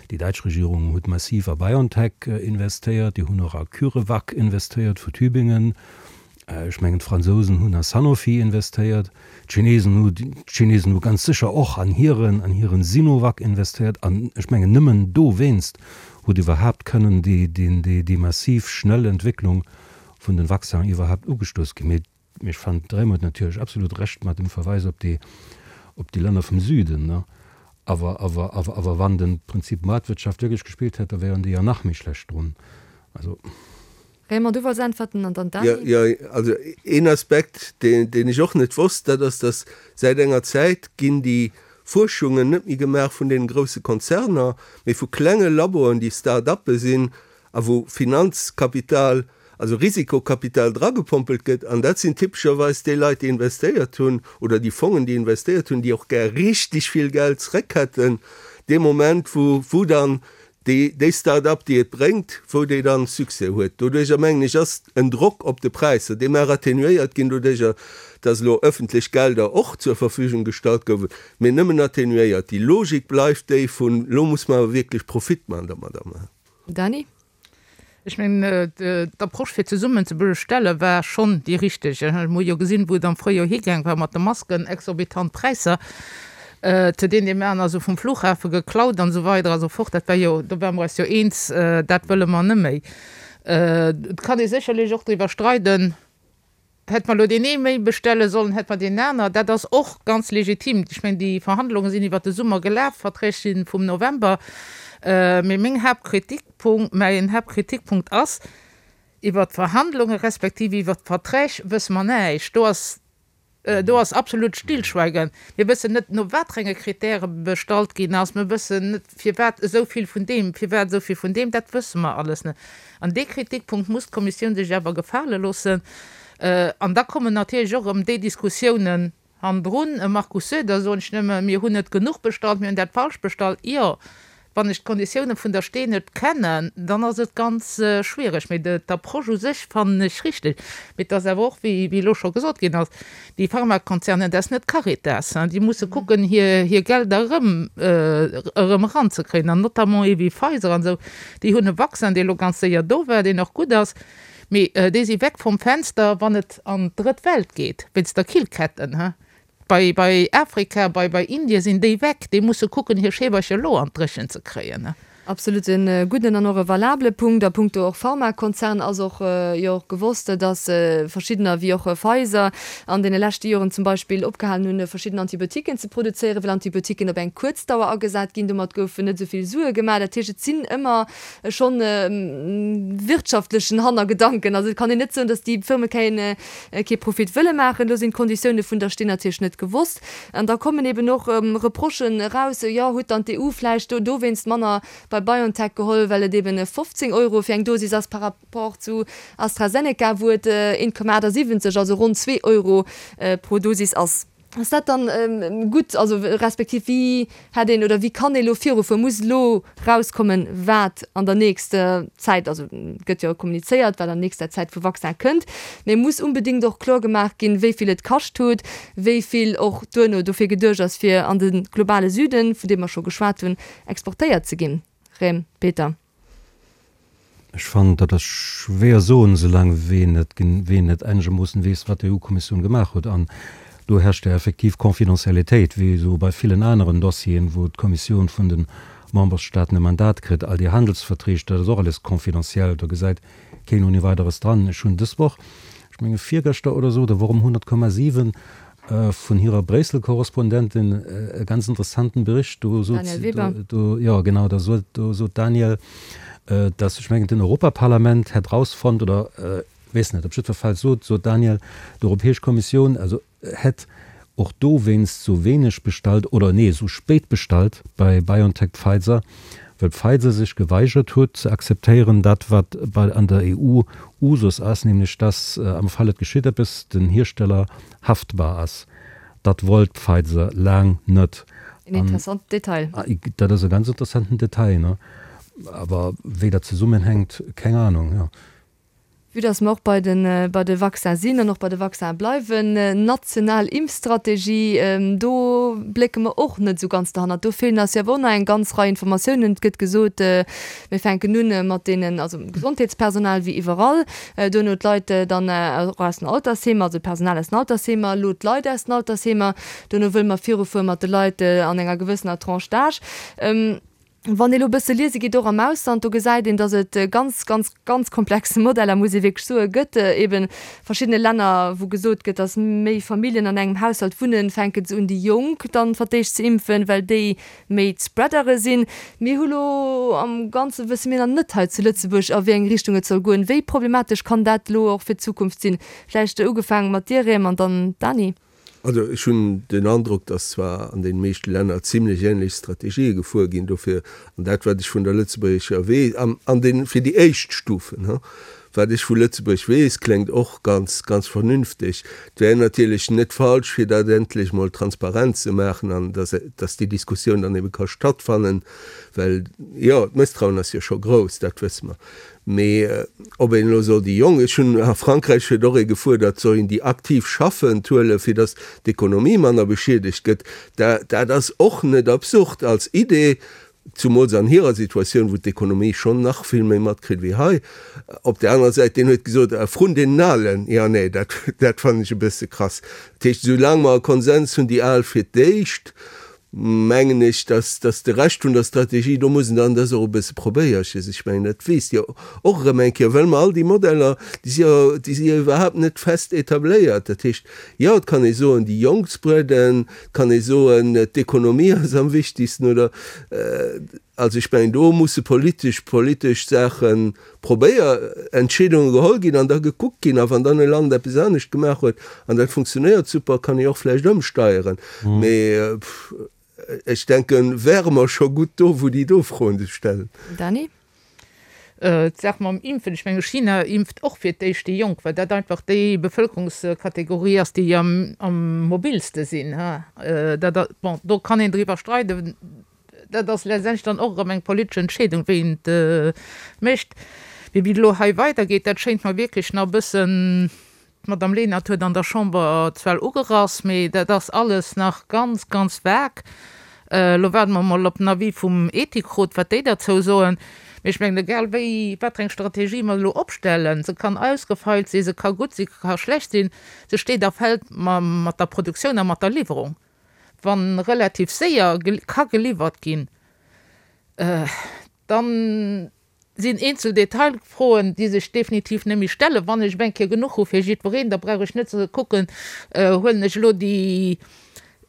déi däitsch Regierung huet massiv a BioNTech investéiert, déi hunn och a CureVac investéiert vu Tübingen. Ech mengen d'Fransousen hunn a Sanofi investéiert, d'Chinesen hu, d'Chinesen hu ganz sécher och an hiren, an hiren Sinovac investéiert. An ech mengen nëmmen dowéinst huet iwwerhaapt kënnen déi, déi, déi, déi massiv schnell Entwécklung vun den Vaccinen iwwerhaapt ugestouss ginn. Mee ech fannen, de Raymond huet natierlech absolut Recht mat dem Verweis op déi, op déi Länner vum Süden, ne. Awer, awer, awer, awer wann de Prinzip Maartwirtschaft wierklech gespillt hätt, da wären déi jo nach méi schlecht drun. Also. Raymond, du wollts äntwerten an dann d'Dany. Jo, also een Aspekt, deen, deen ech och net wosst, dat ass, datt säit enger Zäit ginn déi Fuerschungen net méi gemaach vun deenen grousse Konzerner, mee vu klenge Laboen, déi Start-uppe sinn a wou Finanzkapital, also Risikokapital dragepompelt gëtt. An dat sinn typescherweis déi Leit, déi investéiert hunn oder déi Fongen, déi investéiert hunn, déi och gär richtig vill Geld zréck hätten dee Moment, wou, wou dann déi, déi Start-up, déi et bréngt, wou déi dann Succès huet. Doduerjer, mengen ech, ass en Drock op de Präisser, dee mag atténuéiert ginn doduerjer, dass elo öffentlech Gelder och zur Verfügung gestallt gouwen, mee nëmmen atténuéiert. Déi Logik bleift déi vun, elo muss mer awer wierklech Profit maachen domadder. Dany? Ech mengen, d'Approche fir zesummen ze bestelle war schonn déi richteg. Mir hu jo gesinn, wou et am Fréijoer higaang war mat de Masken, exorbitant Präisser, zu deenen deem aner se vum Flughafe geklaut an esou weider a sou fort. Dat war jo, do ware mer eis jo eens, dat wëlle mer net méi. Et kann ee sécherlech och driwwer streiden, Hätt mer elo deen ee méi bestelle sollen, hätt mer deen aner? Dat ass och ganz legitim. Ech mengen, déi Verhandlunge sinn iwwert de Summer gelaf, d'Verträg si vum November. Mee meng Haaptkritikpunkt, mäin Haaptkritikpunkt ass, iwwert d'Verhandlunge respektiv iwwert d'Verträg wësse mer näischt. Do ass, do ass absolut Stillschweigen. Mir wëssen net, no wat fir enge Kritäre bestallt ginn ass. Mir wëssen net, firwat esou vill vun deem, firwat esou vill vun deem. Dat wësse mer alles net. An dee Kritikpunkt muss d'Kommissioun sech awer gefale loossen. An da kommen natierlech och erëm déi Diskussiounen hannendrun, Markus Söder, soen ech nëmme, mir hunn net genuch bestallt, mir hunn dat falsch bestallt. Jo, Wann ech d'Konditioune vun der Stee net kennen, dann ass et ganz schwiereg. Mee d'Approche u sech fannen ech richteg. Mee et ass awer och, wéi elo scho gesot ginn ass, déi Pharmakonzernen, dat ass net d'Caritas, déi musse kucken, hir Gelder erëm erëm eranzekréien. An notamment ee wéi Pfizer an esou, déi hunn e Vaccin, dee elo ganz séier do war, deen och gutt ass, mee déi si weg vum Fenster, wann et an d'Drëtt Welt geet, wéinst der Killketten. Bei, bei Afrika, bei, bei Indien sinn déi weg, déi musse kucken, hir Scheewercher elo an d'Dréchen ze kréien. Absolut e gudden an och e valabele Punkt. A punkto och Pharmakonzern ass och jo och gewosst, dass verschiddener, wéi och Pfizer, an deene leschte Joren zum Beispill opgehalen hunn, verschidden Antibiotiquen ze produzéieren, well Antibiotiquen op eng kuerz Dauer agesat ginn. Domat goufen net esou vill Sue gemaach. Dat heescht, et sinn ëmmer schonn wirtschaftlechen Hannergedanken. Also et kann een net soen, dass déi Firme keen, kee Profit wëlle maachen. Do sinn d'Konditioune vun der Stee natierlech net gewosst. An da kommen eben och Reprochen eraus, jo huet dann d'EU vläicht do dowéinst manner bei BioNTech geholl, well et eben fofzéng Euro fir eng Dosis ass par rapport zu AstraZeneca, wou et een Komma achtasiwwenzeg, also ronn zwee Euro pro Dosis ass. Ass dat dann gutt? Also respektiv wéi hätt een oder wéi kann ee elo virufueren? Muss elo rauskommen, wat an der nächster Zäit, also et gëtt jo kommunizéiert, wat an nächster Zäit vu Vaccin kënnt, mee muss unbedéngt och kloer gemaach ginn, wéi vill et kascht huet, wéi vill och duerno dofir geduecht ass, fir an de globale Süden, vun deem mer scho geschwat hunn, exportéiert ze ginn. Rem, Peter. Ech fannen, dat ass schwéier soen, soulaang wee net wee net einegermoossen weess, wat d'EU-Kommissioun gemaach huet. An do herrscht jo effektiv Confidentialitéit, wéi esou bei villen aneren Dossieren, wou d'Kommissioun vun de Memberstaaten e Mandat kritt. All déi Handelsverträg, dat ass och alles confidentiel, do gesäit keen ohne weiteres dran. Ech hunn dës Woch, ech menge virgëschter oder esou, da wor um honnert Komma siwen, vun hirer Bréissel-Korrespondentin e ganz interessanten Bericht. Do sot Danièle Weber. Do, jo, genau, da sot, do sot d'Danièle, dass, ech mengen, den Europaparlament hätt rausfonnt, oder weess net, op jiddwer Fall sot, sot d'Danièle, d'Europäesch Kommissioun, also hätt och dowéinst sou wéineg bestallt, oder nee, sou spéit bestallt bei BioNTech-Pfizer, well Pfizer sech geweigert huet ze akzeptéieren, dat wat bei an der E U Usus ass, nämlech dass am Fall et geschitt eppes, den Hiersteller haftbar ass. Dat wollt Pfizer laang net. En interessanten Detail. Dat ass e ganz interessanten Detail, ne? Awer wéi dat zesummenhänkt, keng Ahnung, jo. Vue dass mer och bei de bei de Vaccin sinn an och bei de Vaccin bleiwen, national Impfstrategie, do blécke mer och net esou ganz derhannert. Do feelen eis jo awer och nach eng ganz Rei Informatiounen. Et gëtt gesot, mir fänken un mat deenen, also Gesondheetspersonal wéi iwwerall, duerno d'Leit dann och aus den Altersheemer, also d'Personal aus den Altersheemer, elo d'Leit aus den Altersheemer, duerno wëlle mer virufuere mat de Leit an enger gewëssener Tranche d'âge. Wann ee lo e bësse liese geet, och am Ausland, do gesäit een, datt et ganz, ganz, ganz komplex Modeller, muss ee wierklech soen, gëtt. Eeben verschiddene Länner, wou gesot gëtt, datt méi Familljen an engem Haushalt wunnen, fänke se un, déi Jonk dann fir d'éischt ze impfen, well déi méi d'Spreadere sinn. Mir hu lo am Ganze wësse mir nach net hei zu Lëtzebuerg, a wéi eng Richtung et soll goen. Wéi problematesch kann dat elo och fir d'Zukunft sinn? Vläicht ugefaange mat dir, Rem, an dann Dany. Also ech hunn den Androck, datt zwar an deene meeschte Länner zimlech ähnlech Strategië gefuer ginn, dofir, an dat wat ech vun der lëtzebuergescher weess, an an den, fir déi éischt Stufen, he, wat ech vu Lëtzebuerg weess, kléngt och ganz, ganz vernünfteg. Et wär natierlech net falsch, fir dat endlech mol transparent ze maachen an datt, datt déi Diskussioun dann ebe ka stattfannen, well, jo, d'Mësstrauen ass jo scho grouss, dat wësse mer. Mee ob een elo soll déi Jonk, ech hunn a Frankräich huet och ee gefuerdert, soll een déi aktiv Schaffend huelen, fir datt d'Ekonomie manner beschiedegt gëtt, dat ass och net absurd als Idee, zumools an hirer Situatioun, wou d'Ekonomie schonn nach vill méi matkritt wéi hei. Op där anerer Säit, deen huet gesot, vrun deenen Alen, jo nee, dat dat fannen ech e bësse krass. Dat heescht, esoulaang mer e Konsens hunn, déi Al fir d'éischt, mengen ech, dass, dass de Rescht vun der Strategie, do muss en dann dass och e bësse probéierches, ech mengen, dat weess Dir och erëm eng Kéier, well mer all déi Modeller, déi si jo, déi si jo iwwerhaapt net fest etabléiert. Dat heescht, jo, et kann ee soen, déi Jonk spreaden, et kann ee soen, d'Ekonomie ass am wichtigsten oder, also ech mengen, do musse politesch, politesch Saache probéier, Entscheedunge geholl ginn an da gekuckt ginn. A wann dann e Land eppes anescht gemaach huet an dat funktionéiert super, kann ee och vläicht ëmsteieren. Mee ech denken, wäre mer scho gutt do, wou déi do Froen sech stellen. Dany? D'Saach mam Impfen, ech menge China impft och fir d'éischt déi Jonk, well dat einfach déi Bevëlkerungskategorie ass, déi am mobilste sinn. Dat, bon, do kann een driwwer streiden. Dat ass letztendlech dann och erëm eng politesch Entscheedung, wéi een et mécht. Mee wéi et elo hei weidergeet, dat schéint mer wierklech nach e bëssen, d'Madame Lenert huet an der Chamber zwar ugerass, mee dat ass alles nach ganz, ganz vag. Elo waarde mer emol op den Avis vum Ethikrot, wat déi derzou soen. Mee ech mengen, egal wéi, wat fir eng Strategie mer elo opstellen, se kann ausgefeilt sinn, se ka gutt sinn, se ka schlecht sinn, se steet a fält mat der Produktioun a mat der Liwwerung. Wa relativ séier ka geliwwert ginn, da sinn eenzel Detailfroen, déi sech definitiv net méi stellen. Wann ech eng Kéier genuch hu fir jiddwereen, da brauch ech net ze kucken, huelen ech elo déi,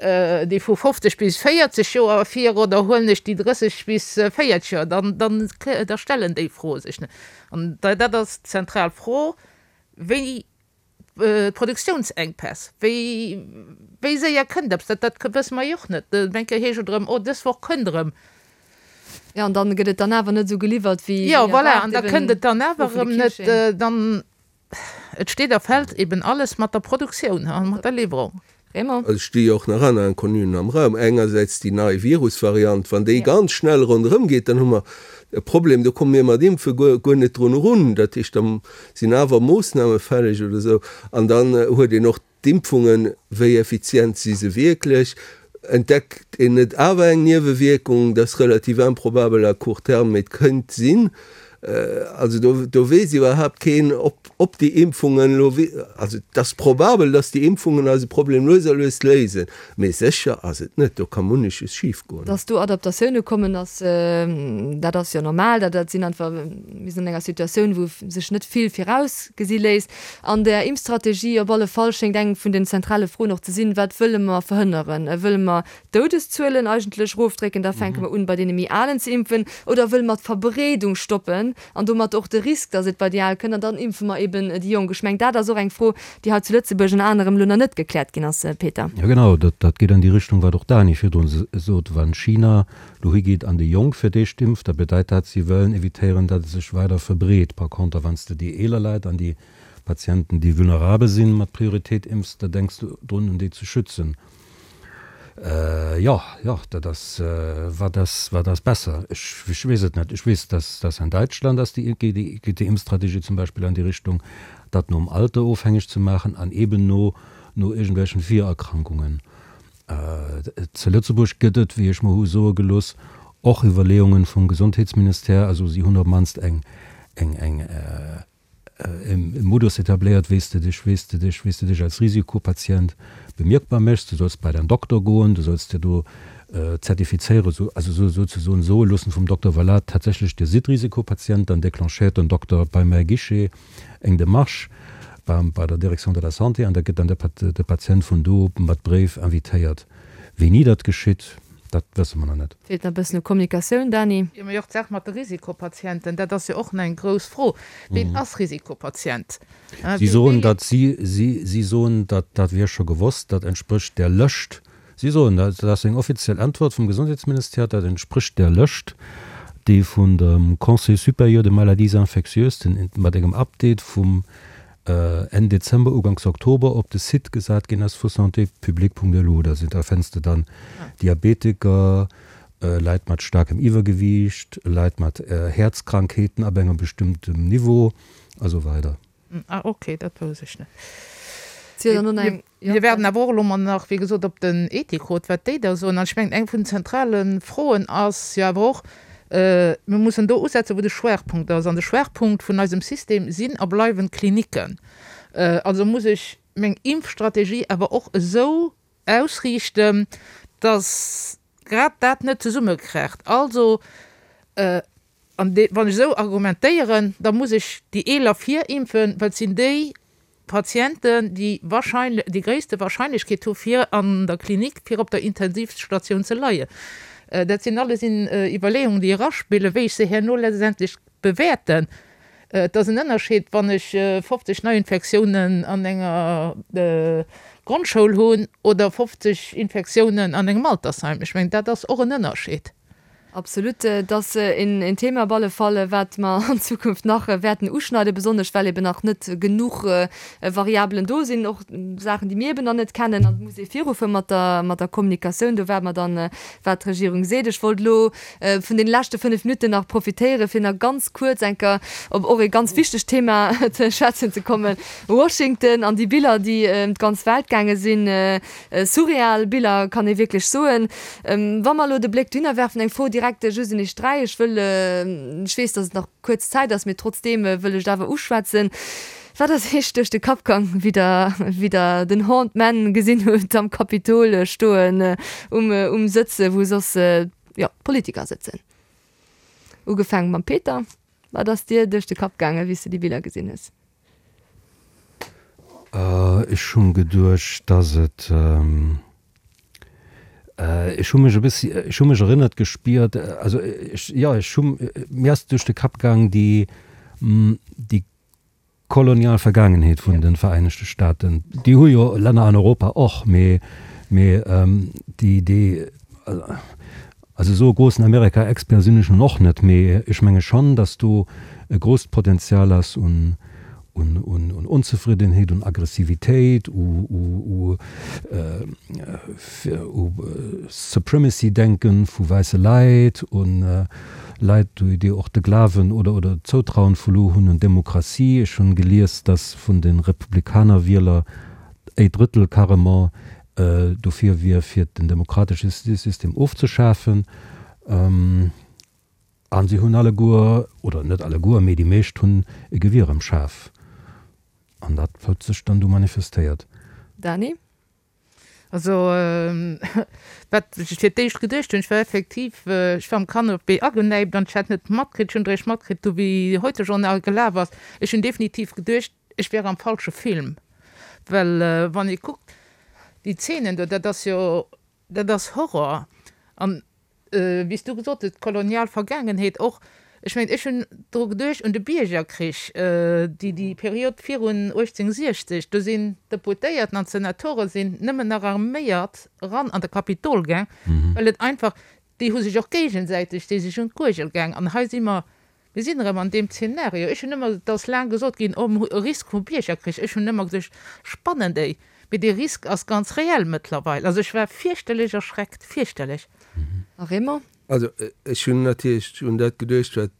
déi vu fofzeg bis véierzeg Joer ervir oder huelen ech déi drësseg bis véierzeg Joer, dann, dann, da stellen déi Froe sech net. An dat ass d'zentral Fro, wéi D'Produktiounsenkpäss, wéi wéi séier kënnt eppes, dat dat wësse mer jo och net. Eng Kéier heescht et erëm, oh dës Woch kënnt erëm. Jo, an dann gëtt et dann awer net esou geliwwert wéi Jo, voilà, an da kënnt et dann awer erëm net. Dann, et steet a fält eben alles mat der Produktioun a mat der Liwwerung. Raymond. Et sti jo och nach aner Inconnuen am Raum. Engersäits déi nei Virusvariant, wann déi ganz schnell ronderëm geet, dann hu mer e Problem, do komme mir mat Impfe guer, guer net drun erun. Dat heescht, da sinn awer Moossname fälleg oder esou. An dann huet een och d'Impfungen, wéi effizient si se wierklech? Entdeckt een net awer eng Niewewierkung? Dat ass relativ improbabel à court terme, mee et kéint sinn. Also do, do weess iwwerhaapt keen, ob, ob déi Impfungen elo, also et ass probabel, datt déi Impfungen eise Problem lues a lues léisen, mee sécher ass et net. Do ka munneches schifgoen. Datt do Adaptatioune kommen, ass, dat ass jo normal. Dat, dat sinn einfach, mir sinn an enger Situatioun, wou sech net vill virausgesi léisst. An där Impfstrategie op alle Fall schéngt eng vun den zentrale Froen och ze sinn, Wat wëlle mer verhënneren? Wëlle mer d'Doudeszuelen eigentlech erofdrécken, da fänke mer un, bei deene méi Alen ze impfen, oder wëlle mer d'Verbreedung stoppen an domat och de Risk, datt et bei déi Al kënnt, an dann impfe mer eben déi Jonk? Ech mengen, dat ass och eng Fro, déi hei zu Lëtzebuerg ënner anerem elo nach net gekläert ginn ass, Peter. Jo genau, dat, dat geet an déi Richtung, wat och d'Dany virdrun sot. Wann China elo higeet an déi Jonk fir d'éischt impft, da bedeit dat, si wëllen evitéieren, datt et sech weider verbreet. Par conter, wann s de déi eeler Leit an déi Patienten, déi vulnerabel sinn, mat Prioritéit impfs, da denks du drun, un déi ze schützen. Jo, jo, dat ass, wat ass, wat ass besser? Ech, ech weess et net. Ech weess, dass, dass an Däitschland ass déi, geet déi, geet déi Impfstrategie zum Beispill an déi Richtung, dat nom Alter ofhängeg ze maachen an eben no, no iergendwelchen Virerkrankungen. Zu Lëtzebuerg gëtt et, wéi ech mer hu soe gelooss, och Iwwerleeungen vum Gesondheetsministère, also si hunn op d'mannst eng, eng, eng, e Modus etabléiert, wéi s de dech, wéi s de dech, wéi s de dech als Risikopatient bemierkbar méchs. Du solls bei däin Dokter goen, du solls dir do zertifizéiere, also souzesoen soe loossen vum Dokter, voilà, tatsächlech, Dir sidd Risikopatient. Dann déclenchéiert den Dokter beim Guichet eng Demarche beim, bei der Direction de la Santé an da gëtt dann de Patient vun do mat Bréif invitéiert. Wéini dat geschitt, dat wësse mer nach net. Feelt nach e bëssen u Kommunikatioun, Dany. Jo, mee och d'Saach mat de Risikopatienten, dat ass jo och nach eng grouss Fro. Ween ass Risikopatient? Si soen, datt si, si, si soen, datt dat wier scho gewosst, dat entsprécht där Lëscht. Si soen dat, dat ass eng offiziell Äntwert vum Gesondheetsministère, dat entsprécht där Lëscht, déi vun dem Conseil supérieur des maladies infectieuses, den, mat engem Update vum Enn Dezember, Uganks Oktober op de Site gesat ginn ass vu santépublique.lu. Da sinn, da fënns de dann Diabetiker, Leit mat staarkem Iwwergewiicht, Leit mat Häerzkrankheeten ab engem bestëmmtem Niveau a sou weider. Ah ok, dat wousst ech net. Mir waarden awer och elo mol nach, wéi gesot, op den Ethikrot, wat déi da soen. An ech mengen, eng vun den zentrale Froen ass jo awer och, mir mussen do usetzen, wou de Schwerpunkt ass. An de Schwerpunkt vun eisem System sinn a bleiwen d'Kliniken. Also muss ech meng Impfstrategie awer och esou ausriichten, dass grad dat net zesummekracht. Also, an wann ech esou argumentéieren, da muss ech déi Eeler virimpfen, well et sinn déi Patienten, déi wahrscheinlech, déi gréisste Wahrscheinlechkeet hu fir an der Klinik, fir op der Intensivstatioun ze leien. Dat sinn alles Iwwerleeungen, déi eraspillen, wéi ech se herno letztendlech bewäerten. Et ass en Ënnerscheed, wann ech fofzeg Neiinfektiounen an enger Grondschoul hunn oder fofzeg Infektiounen an engem Altersheim. Ech mengen, dat ass och en Ënnerscheed. Absolut, et ass een Thema op alle Fall, wat mer an Zukunft nach wäerten uschneiden, besonnesch well eben nach net genuch Variabelen do sinn, och Saachen, déi mir eben nach net kennen. An et muss ee virufuere mat der, mat der Kommunikatioun. Do waarde mer dann, wat d'Regierung seet. Ech wollt elo vun deene leschte fënnef Minutten nach profitéieren, fir nach ganz kuerz eng Kéier op och ee ganz wichtegt Thema ze schwätzen ze kommen, Washington an déi Biller, déi ëm d'ganz Welt gaange sinn. Surreal Biller, kann ee wierklech soen. Wa mer elo de Bléck dohinner werfen, eng Fro direkt just un iech dräi, ech wëll, ech weess, datt et nach kuerz Zäit ass, mee trotzdeem wëll ech et awer uschwätzen, Wat ass iech duerch de Kapp gang, wéi der, wéi der den Horned Man gesinn hutt am Kapitol stoen, um, um Sëtz, wou soss, jo, d'Politiker sëtzen? Ugefaange mam Peter, Wat ass dir duerch de Kapp gaangen, wéi s de déi Biller gesinn hues? Ech hunn geduecht, dass et, ech hu mech e bëssi, ech hu mech erënnert gespiert, also ech, jo, ech hu, mir ass duerch de Kapp gaang déi, déi kolonial Vergaangenheet vun de Vereenegte Staaten. Déi hu jo Länner an Europa och, mee, mee déi, déi, also esou e grossen Amerika-Expert sinn ech nun och net, mee ech menge schonn, dass do e grousst Potenzial ass un, un Onzefriddenheet, un Aggressivitéit, u Supremacy-Denken vu wäisse Leit, u Leit, déi och de Glawen oder oder d'Zoutrauen verluer hunn un d'Demokratie. Ech hunn gelies, datt vun de Republikaner-Wieler e Drëttel carrement dofir wier, fir den demokratesche System ofzeschafen. An si hunn alleguer, oder net alleguer, mee déi meescht hunn e Gewier am Schaf. An dat huet sech dann du manifestéiert. Dany? Also, wat ech fir d'éischt geduecht hunn, ech war effektiv, ech war am Canapé agenäipt an ech hat net matkritt, ech hunn eréischt matkritt, du wéi Heute-Journal gelaf ass, ech hunn definitiv geduecht, ech wär am falsche Film. Well wann ee kuckt, déi Zeenen do, dat ass jo, dat ass Horror. An wéi s du gesot hues, d'kolonial Vergaangenheet och, ech mengen, ech hunn dru geduecht un de Biergerkrich, déi, déi Period virun uechtzénhunnertsiechzeg, do sinn d'Deputéierten an d'Senatore sinn nëmmen nach arméiert eran an de Kapitol gaang, well et einfach, déi hu sech och géigesäiteg, déi sech un d'Guergel gaang. An hei si mer, mir sinn erëm an deem Zeenario. Ech hunn ëmmer, et ass laang gesot ginn, oh, e Risk vu Biergerkrich, ech hunn ëmmer geduecht, spannen déi? Mee dee Risk ass ganz reell mëttlerweil. Also ech war fierchterlech erschreckt, fierchterlech. A Raymond? Also ech hunn natierlech un dat geduecht, wat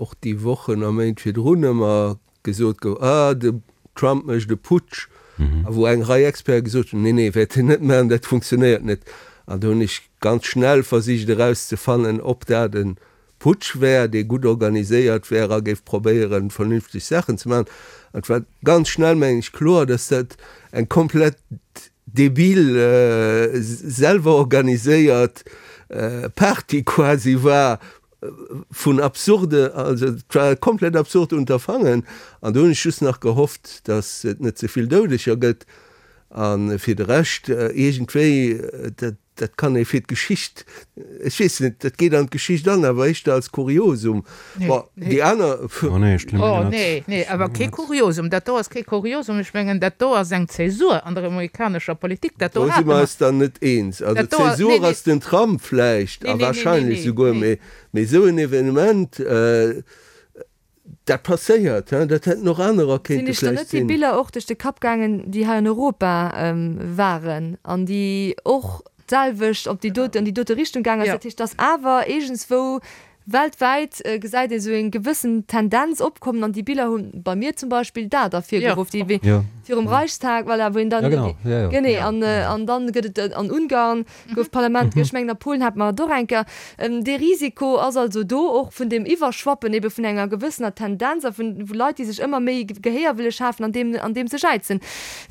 och déi Wochen a Méint virdrun ëmmer gesot gouf, Ah, de Trump mécht e Putsch. A wou eng Rei Experte gesot hunn, Nee, nee, wäert en net maachen, dat funktionéiert net. An do hunn ech ganz schnell versicht erauszefannen, ob dat e Putsch wär, dee gutt organiséiert wär a géif probéieren, vernünfteg Saachen ze maachen. An et war ganz schnell, mengen ech, kloer, dass dat eng komplett debil, selwer organiséiert Party quasi war vun absurde, also et war e komplett absurd Unterfangen. An do hunn ech just nach gehofft, dass et net ze vill Doudeger gëtt. A fir de Rescht, iergendwéi, dat Dat kann ee fir d'Geschicht, ech weess net, dat geet an d'Geschicht an, awer éischter als Kuriosum. Bon, déi aner. Oh nee, ech oh nee, nee, awer kee Kuriosum. Dat do ass kee Kuriosum. Ech mengen, dat do ass eng Zäsur an der amerikanescher Politik. Dat do Do si hate mer mer. eis dann net eens. Also Dat do ass, d'Zäsur nee, nee. ass den Trump vläicht, Nee, a nee, nee, nee, wahrscheinlech nee, souguer, nee. mee, mee esou en Evenement, Dat passéiert, hein, dat hätten och anerer Sinn kéinte iech dann vläicht net déi sinn. Biller och duerch de Kapp gaangen, déi hei an Europa waren an déi och d'selwecht op déi doten, an déi dote Richtung gaangen ass? Jo. Dat heescht, dass awer iergendswou weltwäit gesäit ee sou eng gewëssen Tendenz opkommen an déi Biller hu bei mir zum Beispill dat Jo. ervirgeruff, déi wéi Jo. virum Reichstag, voilà, wou een dann Ja, genau. Ja, ja. genee an an dann gëtt et an Ungarn gouf d'Parlament, ech mengen a Polen hat mer et och eng Kéier. Dee Risiko ass also do, och vun deem Iwwerschwappen ebe vun enger gewëssener Tendenz a vun Leit, déi sech ëmmer méi Gehéier wëlle schafen an deem an deem se jäizen.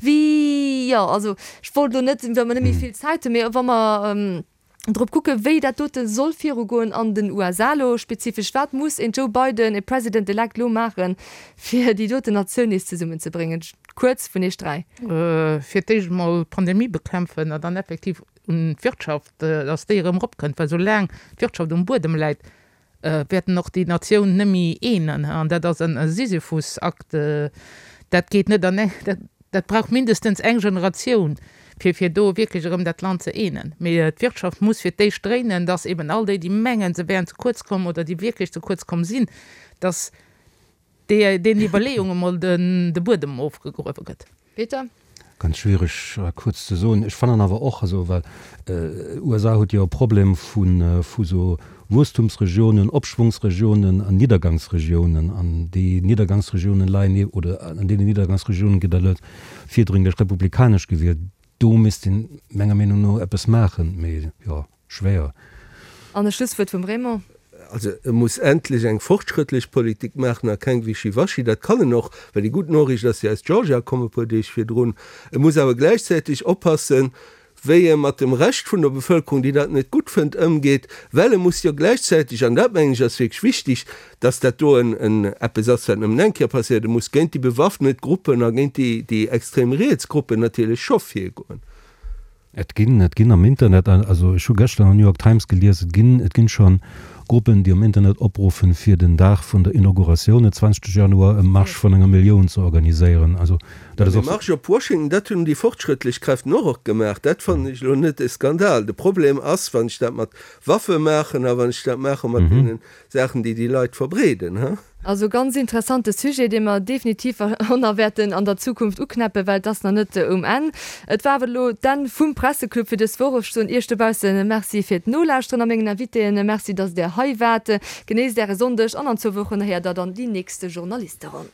Wéi, jo, also ech wollt elo net, well mer net méi vill Zäit hunn, mee wa mer drop kucken, wéi dat dote soll virugoen an den U S A elo spezifesch, wat muss een Joe Biden, e President-elect elo maachen, fir déi doten Natioun nees zesummenzebréngen? Kuerz vun iech dräi. Fir d'éischt emol d'Pandemie bekämpfen a dann effektiv un d'Wirtschaft, dass déi erëm eropkënnt, well soulaang d'Wirtschaft um Buedem läit, wäerten och déi Natioun nëmme eenen. An dat ass en Sisyphus-Akt, dat geet net an eng, dat brauch mindestens eng Generatioun, fir fir do wierklech erëm dat Land ze eenen. Mee d'Wirtschaft muss fir d'éischt dréinen, dass eben all déi, déi mengen, se wären ze kuerz komm oder déi wierklech ze kuerz komm sinn, dass déi deenen Iwwerleeunge mol den de Buedem ofgegruewe gëtt. Peter? Ganz schwiereg kuerz ze soen. Ech fannen awer och, also well USA huet jo e Problem vu vu sou Wuesstumsregiounen, Opschwungsregiounen an Niddergangsregiounen. An déi Niddergangsregiounen leien oder an deenen Niddergangsregiounen gëtt elo virdringlech republikanesch gewielt. Do misst een menger Meenung no eppes maachen, mee jo, schwéier. An e Schlusswuert vum Raymond. Also e muss endlech eng fortschrëttlech Politik maachen a keng Wischiwaschi. Dat kann en och, well déi gutt Noriicht ass jo aus Georgia komm e puer Deeg virdrun. E muss awer gläichzäiteg oppassen, wéi e mat dem Rescht vun der Bevëlkerung, déi dat net gutt fënnt, ëmgeet, well e muss jo gläichzäiteg, an dat mengen ech ass wierklech wichtig, dass dat do en en eppes ass, wat nëmmen eng Kéier passéiert, e muss géint déi bewaffnet Gruppen a géint déi déi extrem riets Gruppen natierlech scho virgoen. Et ginn, et ginn am Internet, also ech hu gëschter an der New York Times gelies, et ginn, et ginn scho Gruppen, déi um Internet opruffen, fir den Dag vun der Inauguratioun, den zwanzegste Januar, e Marsch vun enger Millioun ze organiséieren. Also dat ass och. De Marsch op Washington, dat hunn déi fortschrëttlech Kräften och och gemaach. Dat fannen ech elo net e Skandal. De Problem ass, wann ech dat mat Waffe maachen a wann ech dat maache mat deene Saachen, déi déi Leit verbreeden, ha. Also ganz interessante Sujet, dee mer definitiv och nach wäerten an der Zukunft uknäppen, well et ass nach net um Enn. Et war awer elo d'Enn vum Presseclub fir dës Woch. Ech soen Iech dobausse Merci fir d'Nolauschteren a mengen Invitéen Merci, dass Der hei waart. Genéisst Äre Sonndeg an an zwou Wochen héiert Der dann déi nächste Journalisteronn.